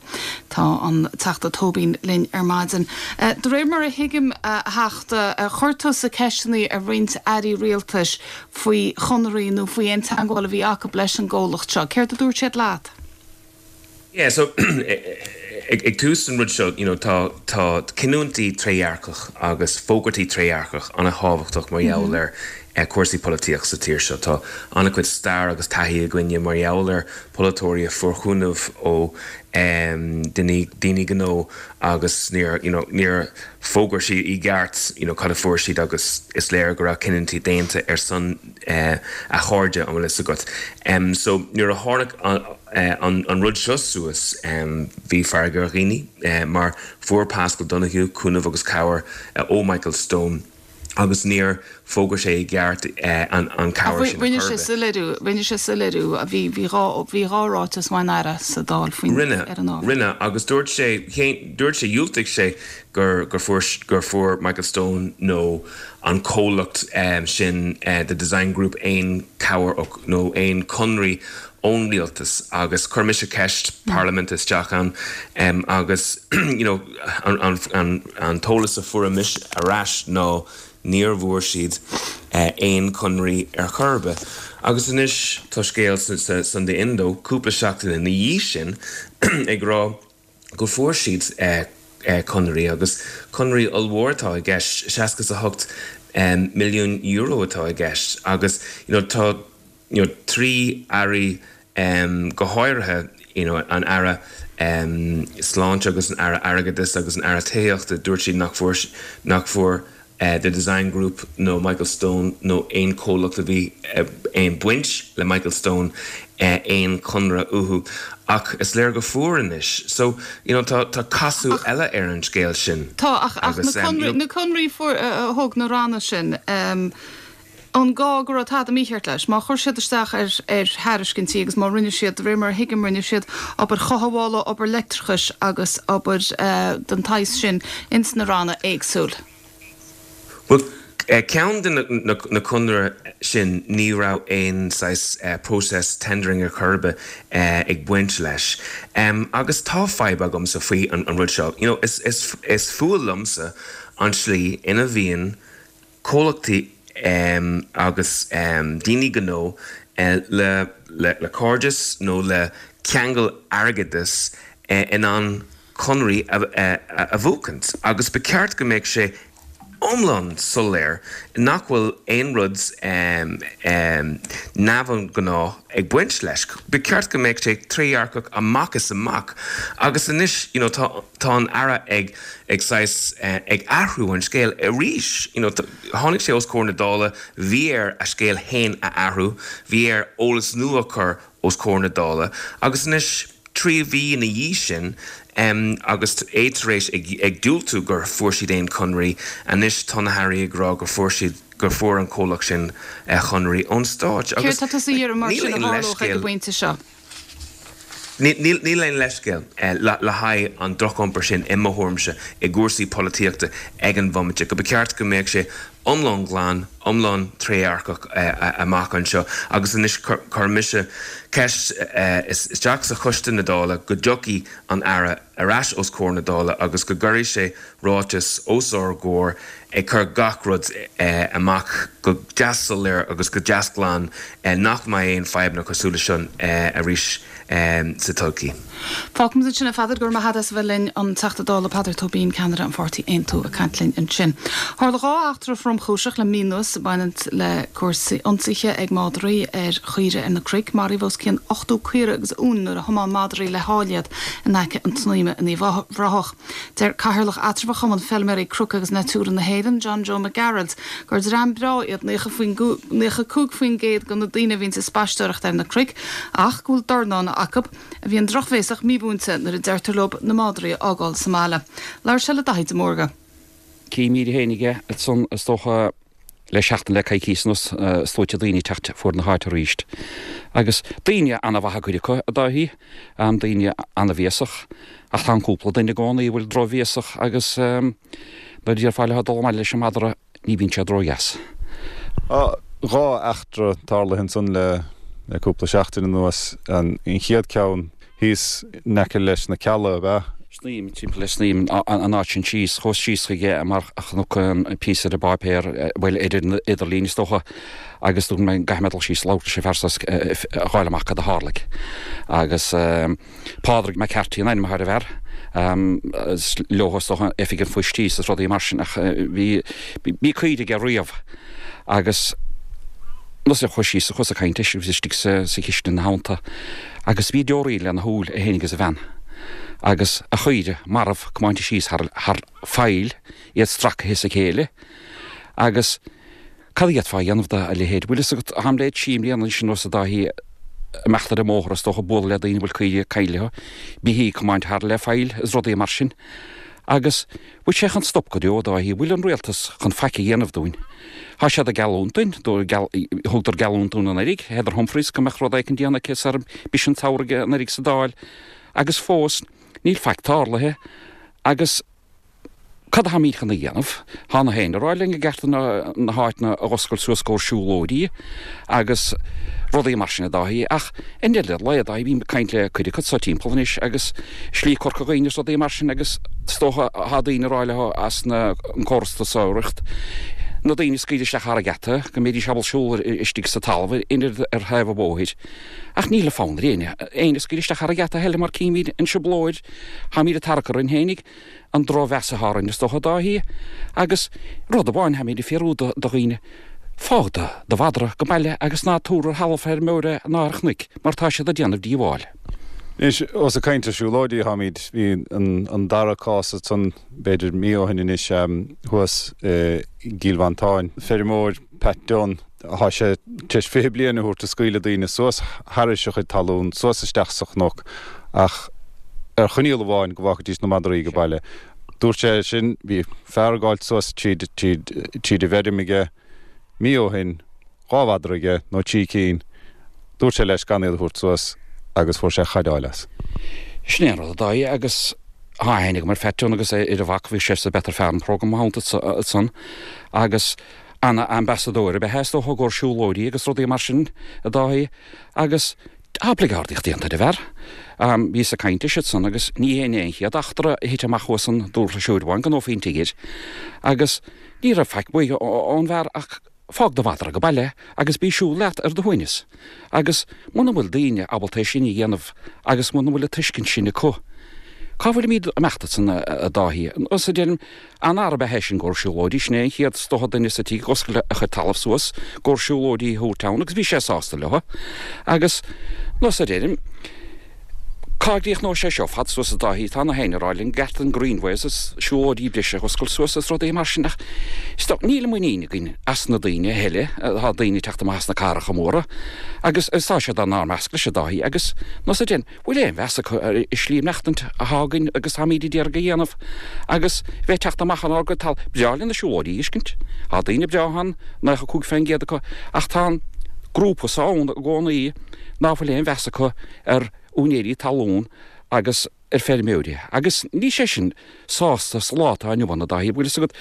Tá an Teachta Tóibín linn ar maidin. De réir mar a thuigim, a Theachta, chuir tusa ceisteanna ar roinnt airí rialtais faoi chonarthaí nó faoi aon teagmháil a bhí acu leis an gcomhlacht seo. Céard a dúirt siad leat? Yeah, so ag tús an rud seo, you know, tá tá cinniúintí trédhearcach agus fógartaí trédhearcach an-thábhachtach mar gheall ar cúrsaí polaitíochta sa tír seo. Tá an-chuid stair agus taithí againne mar gheall ar polaiteoirí a fuair cúnamh ó daoine daoine gnó agus níor, you know, níor fógair siad i gceart, you know, cad a fuair siad agus is léir go raibh cinniúintí déanta ar son a chairde, an bhfuil fhios agat. So nuair a tháinig an. an rud seo suas, bhí fearg ar dhaoine mar fuair Paschal Donohoe cúnamh agus cabhair ó Michael Stone agus níor fhógair sé i gceart an cabhair sin a chor ar bith. Soiléiriú, rinne sé soiléiriú, bhí, bhí dhá, bhí dhá ráiteas ón Aire sa Dáil faoin, Rinne, ar an ábhar. rinne agus dúirt sé, dúirt sé, dhiúltaigh sé gur, gur fuair, gur fuair Michael Stone nó an comhlacht sin The Design Group aon cabhair nó aon conraí ón rialtas agus chuir mise ceist parlaiminte isteach ann agus you know an t-eolas a fuair mise ar ais ná níor bhfuair siad aon conraí ar chor ar bith. Agus anois tá scéal sa Sunday Indo cúpla seachtain ina dhiaidh sin ag rá go fuair siad conraí agus conraí ollmhór atá i gceist, €68 milliún atá i gceist agus you know tá you know 3 airí go háirithe you know an Aire Sláinte agus an Aire Airgeadais agus an Aire Tithíochta dúirt siad nach bhfuair nach bhfuair The Design Group nó Michael Stone nó aon chomhlacht a bhí aon baint le Michael Stone aon chonradh uathu ach is léir go fuair anois so you know tá tá casadh eile ar an scéal sin Tá ach ach na conraí na conraí fuair a thug na ranna sin An gá go raibh tada mícheart leis? Má chuir siad isteach ar ar thairiscintí agus má rinne siad, de réir mar a thuigim, rinne siad obair chothabhála, obair leictreachais agus obair den tsaghas sin ins na ranna éagsúil. Bhuel, ceann de na conradh sin ní raibh aon saghas process tendering ar chor ar bith ag baint leis. Agus tá fadhb agamsa faoi an rud seo. You know, is is is fuath liomsa an tslí ina bhíonn comhlachtaí agus daoine gnó le cairdeas nó le ceangal airgeadais in ann conraí a bhuachaint agus ba cheart go mbeadh sé iomlán soiléir nach bhfuil aon rud neamhghnáth ag baint leis. Ba cheart go mbeadh sé trédhearcach amach is amach agus anois you know tá tá an Aire ag ag saghas ag athrú an scéil arís. You know tháinig sé os comhair na Dála, bhí air a scéal fhéin a athrú, bhí air eolas nua a chur os comhair na Dála agus anois. 3 mhí ina dhiaidh sin, agus é tar éis ag diúltú gur fuair siad aon chonraí, anois tá na hairí ag rá gur fuair siad, gur fuair an comhlacht sin conraí ón Stáit. Céard tá tusa a iarraidh mar sin a tharlódh ag an bpointe seo? Níl aon leithscéal le haghaidh an droch-iompar sin, i mo thuairimse, i gcúrsaí polaitíochta ag an bhomaite, go ba cheart go mbeadh sé iomlán glan, iomlán trédhearcach amach anseo. Agus anois cuirfidh mise ceist isteach sa choiste na Dála go dtiocfaidh an Aire ar ais os comhair na Dála agus go gcuirfidh sé ráiteas os ár gcomhair ag cur gach rud amach go deas soiléir agus go deas glan nach mbeidh aon fadhbanna cosúil leis seo arís sa todhchaí. Fágfaimid ansin é, a Pheadair, go raibh maith agat as a bheith linn, an Teachta Dála Peadar Tóibín, ceannaire an pháirtí Aontú, ag caint linn ansin. Tharla 2 eachtra thromchúiseach le mí anuas ag baint le cúrsaí ionsaithe ag madraí ar chaoirigh ar na cnoic. Maraíodh os cionn 80 caora agus uain nuair a thiomáin madraí le hál iad in aice an tSnaidhme in Uíbh Ráthach. Deir Cathaoirleach Eatramhach Chumann Feilméaraí Cnoc agus Natura na hÉireann, John Joe Mac Gearailt, gur dream breá iad 95% de na daoine a bhíonns ag spaisteoireacht ar na cnoic ach go bhfuil dornán acu a bhíonn drochbhéasach mímhúinte nuair a deirtear leo na madraí a fhágáil sa mbaile. Labhair sé le Daithí de Mórdha. Címíd fhéinig é ansan is dócha le seachtain le coicíos anuas, sluaite daoine ag teacht fuaid na háite aríst. Agus daoine ana-mhaith cuid acu, a Dáithí, daoine ana-bhéasach, ach tá an cúpla duine i gcónaí a bhfuil drochbhéasach agus nuair a déarfá leo dul abhaile leis an madra, ní bhíonn siad ródheas. 2 eachtra tarlaithe ansan le cúpla seachtain anuas. An chéad ceann thíos in aice leis na Cealla, ab ea? Snaidhm, timpeall le Snaidhm, an áit sin síos, chuas síos chuige mar chonac an píosa ar an bpáipéar, bhuel, ar an idirlíon is dócha, agus dúirt mé, caithfidh mé dul síos labhairt leis an bhfear so a dh'fháil amach cad a tharlaigh. Agus Pádraig McCarthy an ainm atá ar an bhfear, is leo is dócha oifig an phoist thíos is rudaí mar sin ach bhí, bhí caoirigh aige riamh agus nuair a chuas síos, chuas ag caint leis, bhí istigh sa chistin ina theannta agus bhí deoraíl lena shúil, é féin agus a bhean, agus a chaoire marbh comáinte síos thar, thar faill, iad stracaithe as a chéile agus cad a d'fhéadfá a dhéanamh dá leithéid? Bhfuil fhios agat, táim le trí mbliana anois anuas a Dáithí, imeacht ar an mbóthar is dócha, bualadh le daoine a bhfuil caoirigh ag caint leo, beithígh comáinte thar le faill is rudaí mar sin agus bhfuil sé chun stop go deo, a Dáithí? Bhfuil an rialtas chun faic a dhéanamh dúinn? Tá siad ag geallúint dúinn, thugadar geallúint dúinn anuraidh, Heather Humphreys, go mbeadh rud éicint déanta aici sara mbris an samhradh anuraidh sa Dáil agus fós níl faic tarlaithe agus cad atáimid chun a dhéanamh? Tá na héinne ag rá linn go gceart na háiteanna a dh'oscailt suas gcomhair siúlóidí agus rudaí mar sin a Dáithí ach i ndeireadh lae a Dáithí bím ag caint le cuid acu so timpeall anois agus Slí Corca Dhuibhne is rudaí mar sin agus is dócha tá daoine ag rá leo as na an córas turasóireacht na daoine a scaoileadh isteach thar an gheata go mbeidís ábalta siúl istigh sa talamh in ar thaobh an bhóthair ach níl fonn ar éinne éinne a scaoileadh isteach thar an gheata a thuilleadh mar címid an trioblóid táimid ag tarrac orainn fhéinig an drochmheas atá orainn is dócha a Dáithí agus rud amháin táimid ag fiafraí do dhaoine fág do do mhadra go baile agus ná tabhair ar thalamh feirmeora ná ar chnoic mar tá siad ag déanamh díobháil. Anois, ós ag caint ar siúlóidí atáimid, bhí an dara cás ansan b'fhéidir mí ó shin anois thuas i gCill Mhantáin. Feirmeoir, Pat Dunne, Tá sé tar éis 20 bliain a thabhairt ag scaoileadh daoine suas thairis a chuid talún, suas isteach sa chnoc, ach ar choinníoll amháin, go bhfágfaidís na madraí go baile. Dúirt sé sin, bhí fear ag gabháilt suas tríd, tríd, tríd an bhfeirm aige mí ó shin, 2 mhadra aige, nó 3 cinn, dúirt sé leis gan iad a thabhairt suas agus fuair sé chaideáil as. Sin é an rud, a Dáithí, agus tá aithne agam ar Phat Dunne agus ar a mhac, bhí sé sa Better Farm Programme mo theannta ansan agus Ana ambasadóir ab ea é is dócha i gcomhair siúlóidí agus rudaí mar sin, a Dáithí, agus tá bligeardaíocht déanta ar an bhfear. Bhíos ag caint leis ansan agus ní hé an chéad eachtra a thit amach thuas an dúr amháin go Faoin Tigir agus ní raibh faic uaidh ón bhfear ach fág do mhadra go baile agus bí ag siúl leat ar do shuaimhneas. Agus muna bhfuil daoine ábalta é sin a dhéanamh agus muna bhfuil an tuiscint sin acu, cá bhfuilimid ag imeacht ansan, a Dáithí? Is a deirim, An-fhear ab ea é sin i gcomhair siúlóidí, sin é an chéad is dócha duine sa tír a dh'oscail a chuid talamh suas i gcomhair siúlóidí a thabhairt ann agus bhí sé sásta leo. Agus, nós a deirim, Cá gcríochnóidh sé seo fad suas a Dáithí? Tá na héinne ag rá linn Gatland Greenways is siúlóidí breise a oscailt suas is rudaí mar sin ach is dóigh níl muinín againn as na daoine a thuilleadh. Tá daoine ag teacht amach as na cathracha móra agus tá siad inár measc leis a Dáithí agus nós a dein bhfuil aon mheas acu ar an slí maireachtaint atá againn agus táimíd ag iarraidh a dhéanamh agus bheith ag teacht amach inár gcuid tal breá linn na siúlóidí a fheiscint. Tá daoine breá ann, 95% acu ach tá an grúpa so ann i gcónaí ná fuil aon mheas acu ar úinéirí talún agus ar feirmeoirí agus níl sé sin sásta sa lá atá inniu ann a Dáithí, bhfuil fhios agat.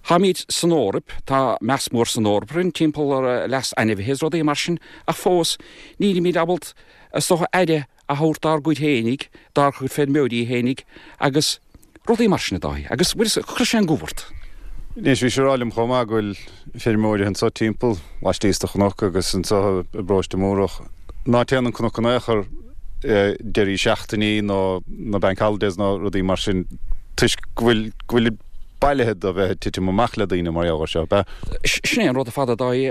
Táimid san Eoraip, tá meas mór san Eoraip orainn timpeall ar leas ainmhithe is rudaí mar sin ach fós nílimid ábalta is dócha aire a thabhairt dár gcuid fhéinig, dár gcuid feirmeoirí fhéinig agus rudaí mar sin a Dáithí agus bhfuil fhios agat, cuireann sé an gomh ort. Anois, bhí sé ag rá liom chomh maith go bhfuil feirmeoirí anso timpeall, laistíos de chnoc agus anso i bparóiste Múrach, ná téann an cnoc in aon chor deirí seachtainí nó na bank holidays nó rudaí mar sin toisc go bhfuil, go bhfuil bailithe do bheith ag titim amach le daoine mar gheall air seo, ab ea? Sin é an rud ar fad a Dáithí,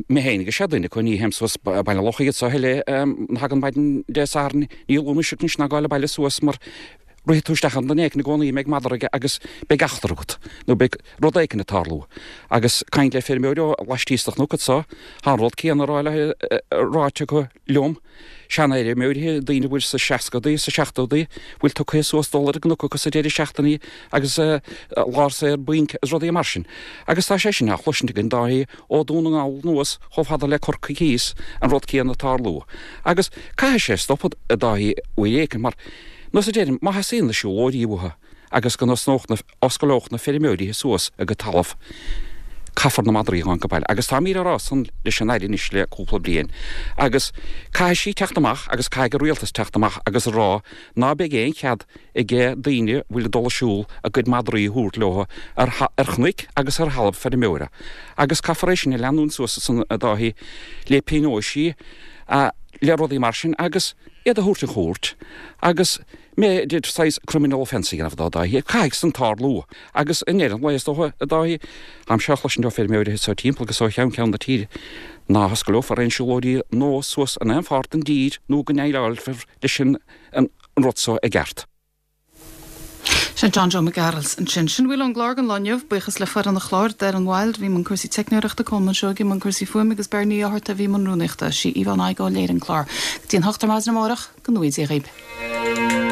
mé féin agus sé duine acu, ní théim suas Baile Locha iad so a thuilleadh, nuair a thagann maidin Dé Sathairn, ní luaim mise anois ná gabháil abhaile suas mar Rithfidh tú isteach i nduine éicint i gcónaí a mbeidh madra aige agus beidh eachtra agat, nó beidh rud éicint ag tarlú. Agus caint le feirmeoir ó laistíos de chnoc anso, tá an rud céanna ráite acu liom, seanfheirmeoirí, daoine a bhfuil sa seascadaí, sa seachtódaí, bhfuil tugtha suas dul ar an gcnoc acu sa deireadh seachtainí agus lá saor bainc is rudaí mar sin. Agus tá sé sin á chloisint againn Dáithí ó Dún na nGall anuas chomh fada le Corcaigh thíos, an rud céanna ag tarlú. Agus caithfidh sé stopadh, a Dáithí, uair éicint mar, Nós a deirim, má theastaíonn na siúlóirí uathu agus go n-osnódh na, oscaileodh na feirmeoirí suas a gcuid talamh, caithfear na madraí a ghabháil go baile. Agus táimíd á rá san leis an Aire anois le cúpla bliain. Agus caithfidh sí teacht amach agus caithfidh an Rialtas teacht amach agus a rá ná beidh aon chead ag daoine a bhfuil ag dul ag siúl a gcuid madraí a thabhairt leo ar, ar chnoic agus ar thalamh feirmeora. Agus caithfear é sin a leanúint suas ansan a Dáithí le pionóisí, le rudaí mar sin agus, iad a thabhairt an chúirt agus b'fhéidir saghas criminal offence a dhéanamh dó, Dáithí. Caithfidh san tarlú agus i ndeireadh an lae is dócha, a Dáithí, táimse á chloisint ó feirmeoirí anso timpeall agus ó cheann ceann na tíre, ná hoscaileofar aon siúlóidí nua suas in aon pháirt den dtír nó go ndéileálfar leis an rud so i gceart. Sin John Joe Mac Gearailt ansin. Sin a bhfuil ón gclár don lá inniu. Buíochas le foireann an chláir, Darren Wilde a bhí i mbun cúrsaí teicneoireachta, Colmán Seoighe i mbun cúrsaí fuaime agus Bernie Ní Fhátharta a bhí i mbun rúnaíochta. Sí Yvonne Igoe a léirigh an clár. Go dtí an hocht ar maidin amárach, go ngnóthaí Dia dhaoib.